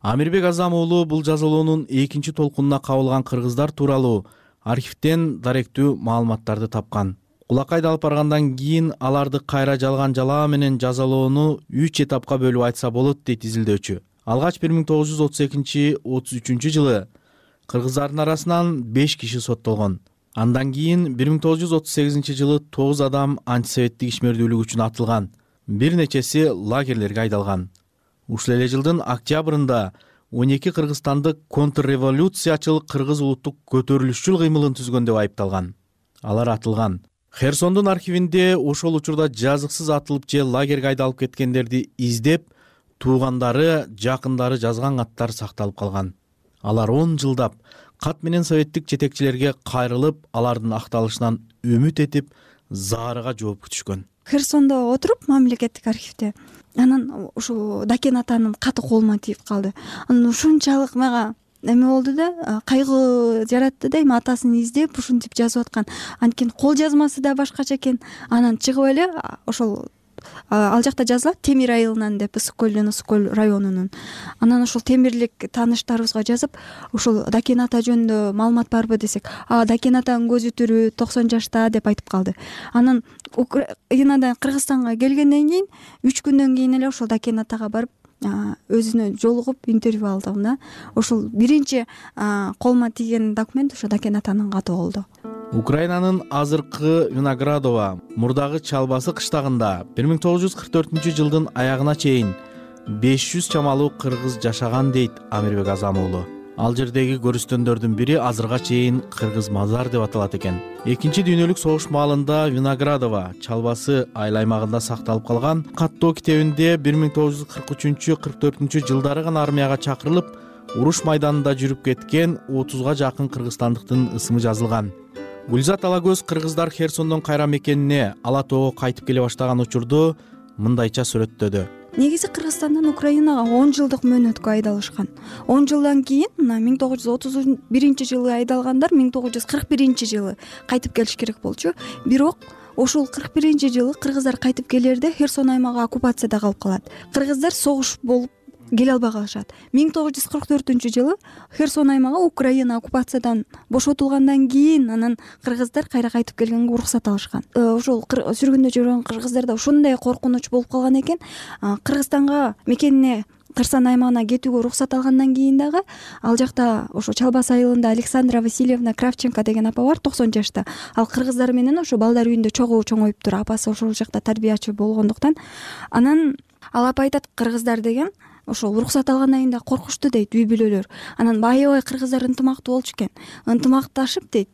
Speaker 1: Амирбек Азам уулу бул жазалоонун экинчи толкунуна кабылган кыргыздар тууралуу архивден даректүү маалыматтарды тапкан. Кулакка айдалып баргандан кийин аларды кайра жалган жалаа менен жазалоону 3 этапка бөлүп айтса болот дейт изилдөөчү. Алгач 1932-33 жылы кыргыздардын арасынан 5 киши соттолгон. Андан кийин 1938 жылы 9 адам антисоветтик ишмердүүлүк үчүн атылган. Бир нечеси лагерлерге айдалган. Ушул эле жылдын октябрында 12 кыргызстандык контрреволюциячыл кыргыз улуттук көтөрүлүшчүл кыймылын түзгөн деп айыпталган. Алар атылган. Херсондун архивинде ошол учурда жазыксыз атылып же лагерге айдалып кеткендерди издеп, туугандары, жакындары жазган каттар сакталып калган. Алар 10 жылдап кат менен советтик жетекчилерге кайрылып, алардын акталышынан үмүт этип, заарыга жооп күтүшкөн.
Speaker 13: Херсондо отуруп мамлекеттик архивде анан ушу Дакен атанын каты колума тийип калды. Анан ушунчалык мага эме болду да, кайгы жаратты да, эми атасын издеп ушинтип жазып аткан. Анткени кол жазмасы да башкача экен. Анан чыгып эле ошол ал жакта жазылат Темир айылынан деп, Ысык көл районунун. Анан ошол темирлик тааныштарыбызга жазып, ушул Дакен ата жөнүндө маалымат барбы десек, Дакен атанын көзү тирүү, 90 жашта деп айтып калды. Анан Украинадан Кыргызстанга келгенден кийин 3 күндөн кийин эле ошол Дакен атага барып өзүнө жолугуп интервью алдым да. Ошол биринчи колума тийген документ ошо Дакен атанын каты болду.
Speaker 1: Украинанын азыркы Виноградова мурдагы Чалбасы кыштагында 1944 жылдын аягына чейин 500 чамалуу кыргыз жашаган дейт Амирбек Азам уулу. Ал жердеги көрүстөндөрдүн бири азырга чейин Кыргыз мазар деп аталат экен. Экинчи дүйнөлүк согуш маалында Виноградова Чалбасы айыл аймагында сакталып калган. Каттоо китебинде 1943-44 жылдары гана армияга чакырылып, уруш майданында жүрүп кеткен 30га жакын кыргызстандыктын ысымы жазылган. Гүлзат Алагөз кыргыздар Херсондон кайра мекенине Ала тоого кайтып келе баштаган учурду мындайча сүрөттөдү.
Speaker 13: Негизи Кыргызстандан Украинага 10 жылдык мөөнөткө айдалышкан. 10 жылдан кийин мына 1931-жылы айдалгандар 1941-жылы кайтып келиш керек болчу. Бирок ошол 41-жылы кыргыздар кайтып келерде Херсон аймагы оккупацияда калып калат. Кыргыздар согуш болуп келе албай калышат. 1944-жылы Херсон аймагы Украина оккупациядан бошотулгандан кийин анан кыргыздар кайра кайтып келгенге уруксат алышкан. Ошол сүргүндө жүргөн кыргыздарда ушундай коркунуч болуп калган экен. Кыргызстанга мекенине Кырсан аймагына кетүүгө уруксат алгандан кийин дагы ал жакта ошо Чалбас айылында Александра Васильевна Кравченко деген апа бар, 90 жашта. Ал кыргыздар менен ошо балдар үйүндө чоңоюптур. Апасы ошол жакта тарбиячы болгондуктан. Анан ал апа айтат, кыргыздар деген ошол уруксат алгандан кийин да коркушту дейт үй бүлөлөр. Анан аябай кыргыздар ынтымактуу болчу экен. Ынтымакташып дейт,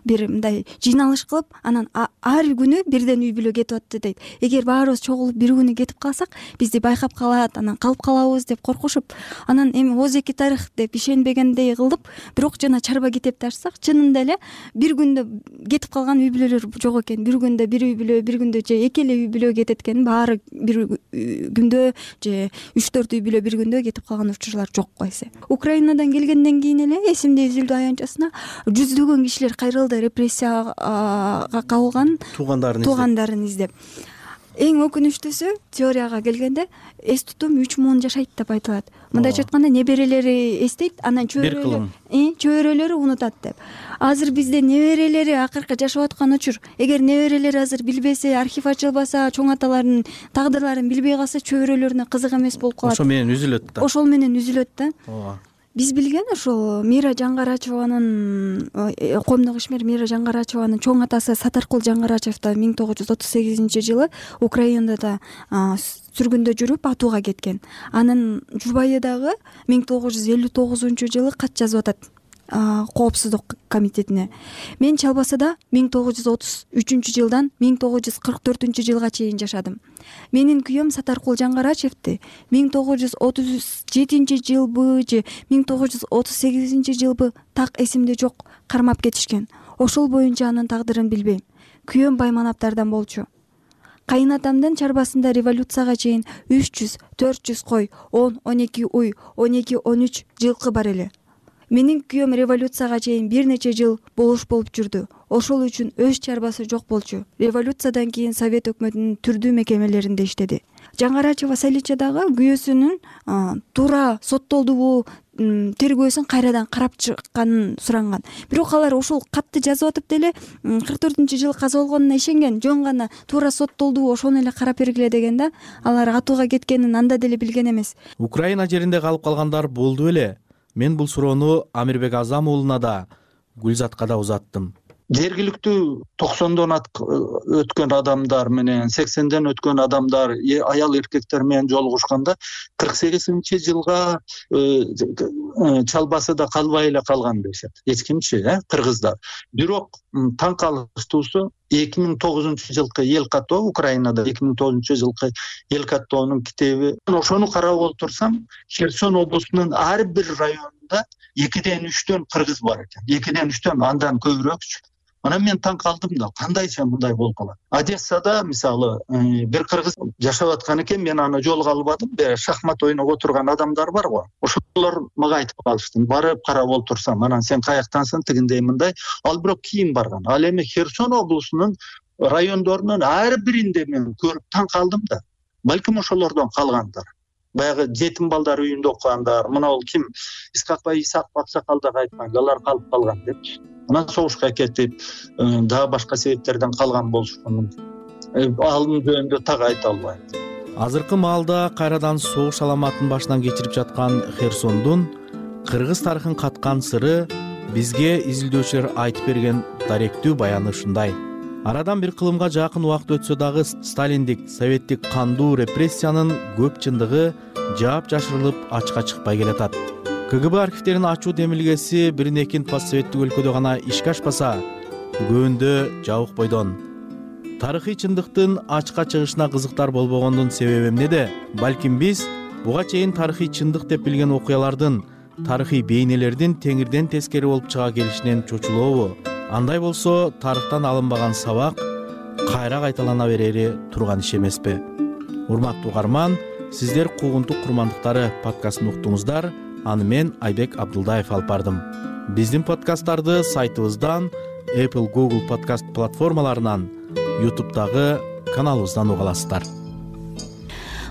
Speaker 13: бир мындай жыйналыш кылып, анан ар күнү бирден үй бүлө кетип атты дейт. Эгер баарыбыз чогулуп бир күнү кетип калсак, бизди байкап калат, анан калып калабыз деп коркушуп, анан эми ооз эки тарых деп ишенбегендей кылып, бирок жана чарба китепти ачсак, чынында эле бир күндө кетип калган үй бүлөлөр жок экен. Бир күндө бир үй бүлө, бир күндө же эки эле үй бүлө кетет экен. Баары бир күндө же 3-4 үй бүлө бир күндө кетип калган учурлар жок койсо. Украинадан келгенден кийин эле эсимде үзүлдү аянтчасына жүздөгөн кишилер кайрылды репрессияга кабылган туугандарын издеп. Эң өкүнүчтүүсү, теорияга келгенде эс тутум 3000 жашайт деп айтылат. Мындайча айтканда неберелери эстейт, анан чөйрөлөрү унутат деп. Азыр бизде неберелери акыркы жашап аткан учур. Эгер неберелери азыр билбесе, архив ачылбаса, чоң аталардын тагдырларын билбей калса, чөйрөлөрүнө кызык эмес болуп калат.
Speaker 1: Ошол менен үзүлөт да.
Speaker 13: Ошол менен үзүлөт да. Биз билген ошол Мира Жаңгарачеванын, коомдук ишмер Мира Жаңгарачеванын чоң атасы Сатаркул Жаңгарачев да 1938-жылы Украинада сүргүндө жүрүп атууга кеткен. Анын жубайы дагы 1959-жылы кат жазып атат Коопсуздук комитетине. Мен Чалбасада 1933-жылдан 1944-жылга чейин жашадым. Менин күйөөм Сатаркул Жаңгарачевди 1937-жылбы же 1938-жылбы так эсимде жок, кармап кетишкен. Ошол боюнча анын тагдырын билбейм. Күйөөм Байманаптардан болчу. Кайынатамдын чарбасында революцияга чейин 300-400 кой, 10-12 уй, 12-13 жылкы бар эле. Менин күйөөм революцияга чейин бир нече жыл болуш болуп жүрдү. Ошол үчүн өз чарбасы жок болчу. Революциядан кийин Совет өкмөтүнүн түрдүү мекемелеринде иштеди. Жаңгарачева Салича дагы күйөөсүнүн туура соттолдубу, тергөөсүн кайрадан карап чыкканын суранган. Бирок алар ошол катты жазып атып деле 44-жылы каза болгонуна ишенген, жөн гана туура соттолдубу ошону эле карап бергиле деген да. Алар атууга кеткенин анда деле билген эмес.
Speaker 1: Украина жеринде калып калгандар болду эле. Мен бул суроону Амирбек Азам уулуна да, Гүлзатка да узаттым.
Speaker 14: Жергиликтүү 90дон өткөн адамдар менен 80ден өткөн адамдар, аял эркектер менен жолугушканда 48-жылга Чалбасыда калбай эле калган дешет. Эч кимчи, кыргыздар. Бирок таң калыштуусу 2009-жылкы эл каттоо, Украинада 2009-жылкы эл каттоонун китеби. Ошону карап отурсам, Херсон облусунун ар бир районунда 2-3дөн кыргыз бар экен. 2-3дөн, андан көбүрөөкчү. Анан мен таң калдым да, кандайча мындай болуп калат. Одессада мисалы бир кыргыз жашап аткан экен, мен аны жолуга албадым. Шахмат ойноп отурган адамдар бар го. Ошолор мага айтып калышты. Барып карап отурсам, анан сен каяктансың, тигиндей мындай. Ал бирок кийин барган. Ал эми Херсон облусунун райондорунун ар биринде мен көрүп таң калдым да. Балким ошолордон калгандар. Баягы жетим балдар үйүндө окугандар, мына ал ким Исакбай Аксакал дагы айткан, алар калып калган депчи. Анан согушка кетип, дагы башка себептерден калган болушу мүмкүн. Алын жөнүндө так айта албайм.
Speaker 1: Азыркы маалда кайрадан согуш аламатын башынан кечирип жаткан Херсондун кыргыз тарыхын каткан сыры бизге изилдөөчүлөр айтып берген даректүү баяны ушундай. Арадан бир кылымга жакын убакыт өтсө дагы сталиндик, советтик кандуу репрессиянын көп чындыгы жаап жашырылып ачыкка чыкпай келатат. КГБ архивтеринин ачуу демилгеси бир-экин постсоветтик өлкөдө гана ишке ашпаса, көбүндө жабык бойдон. Тарыхый чындыктын ачыкка чыгышына кызыктар болбогондун себеби эмнеде? Балким биз буга чейин тарыхый чындык деп билген окуялардын, тарыхый бейнелердин теңирден тескери болуп чыга келишинен чочулообу? андай болсо тарыхтан алынбаган сабак кайра кайталана берери турган иш эмеспи? Урматтуу угарман, сиздер Куугунтук курмандыктары подкастын уктуңуздар. Аны мен Айбек Абдулдаев алып бардым. Биздин подкасттарды сайтыбыздан, Apple, Google подкаст платформаларынан, YouTube'дагы каналыбыздан уга аласыздар.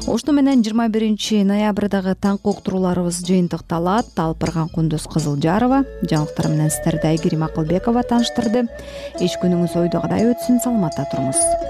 Speaker 2: Ошону менен 21 ноябрдагы таңкы уктурууларыбыз жыйынтыкталат. Алып барган Кундуз Кызылжарова, жаңылыктар менен сиздерди Айгерим Акылбекова тааныштырды. Эч күнүңүз ойдогудай өтсүн, саламатта туруңуз.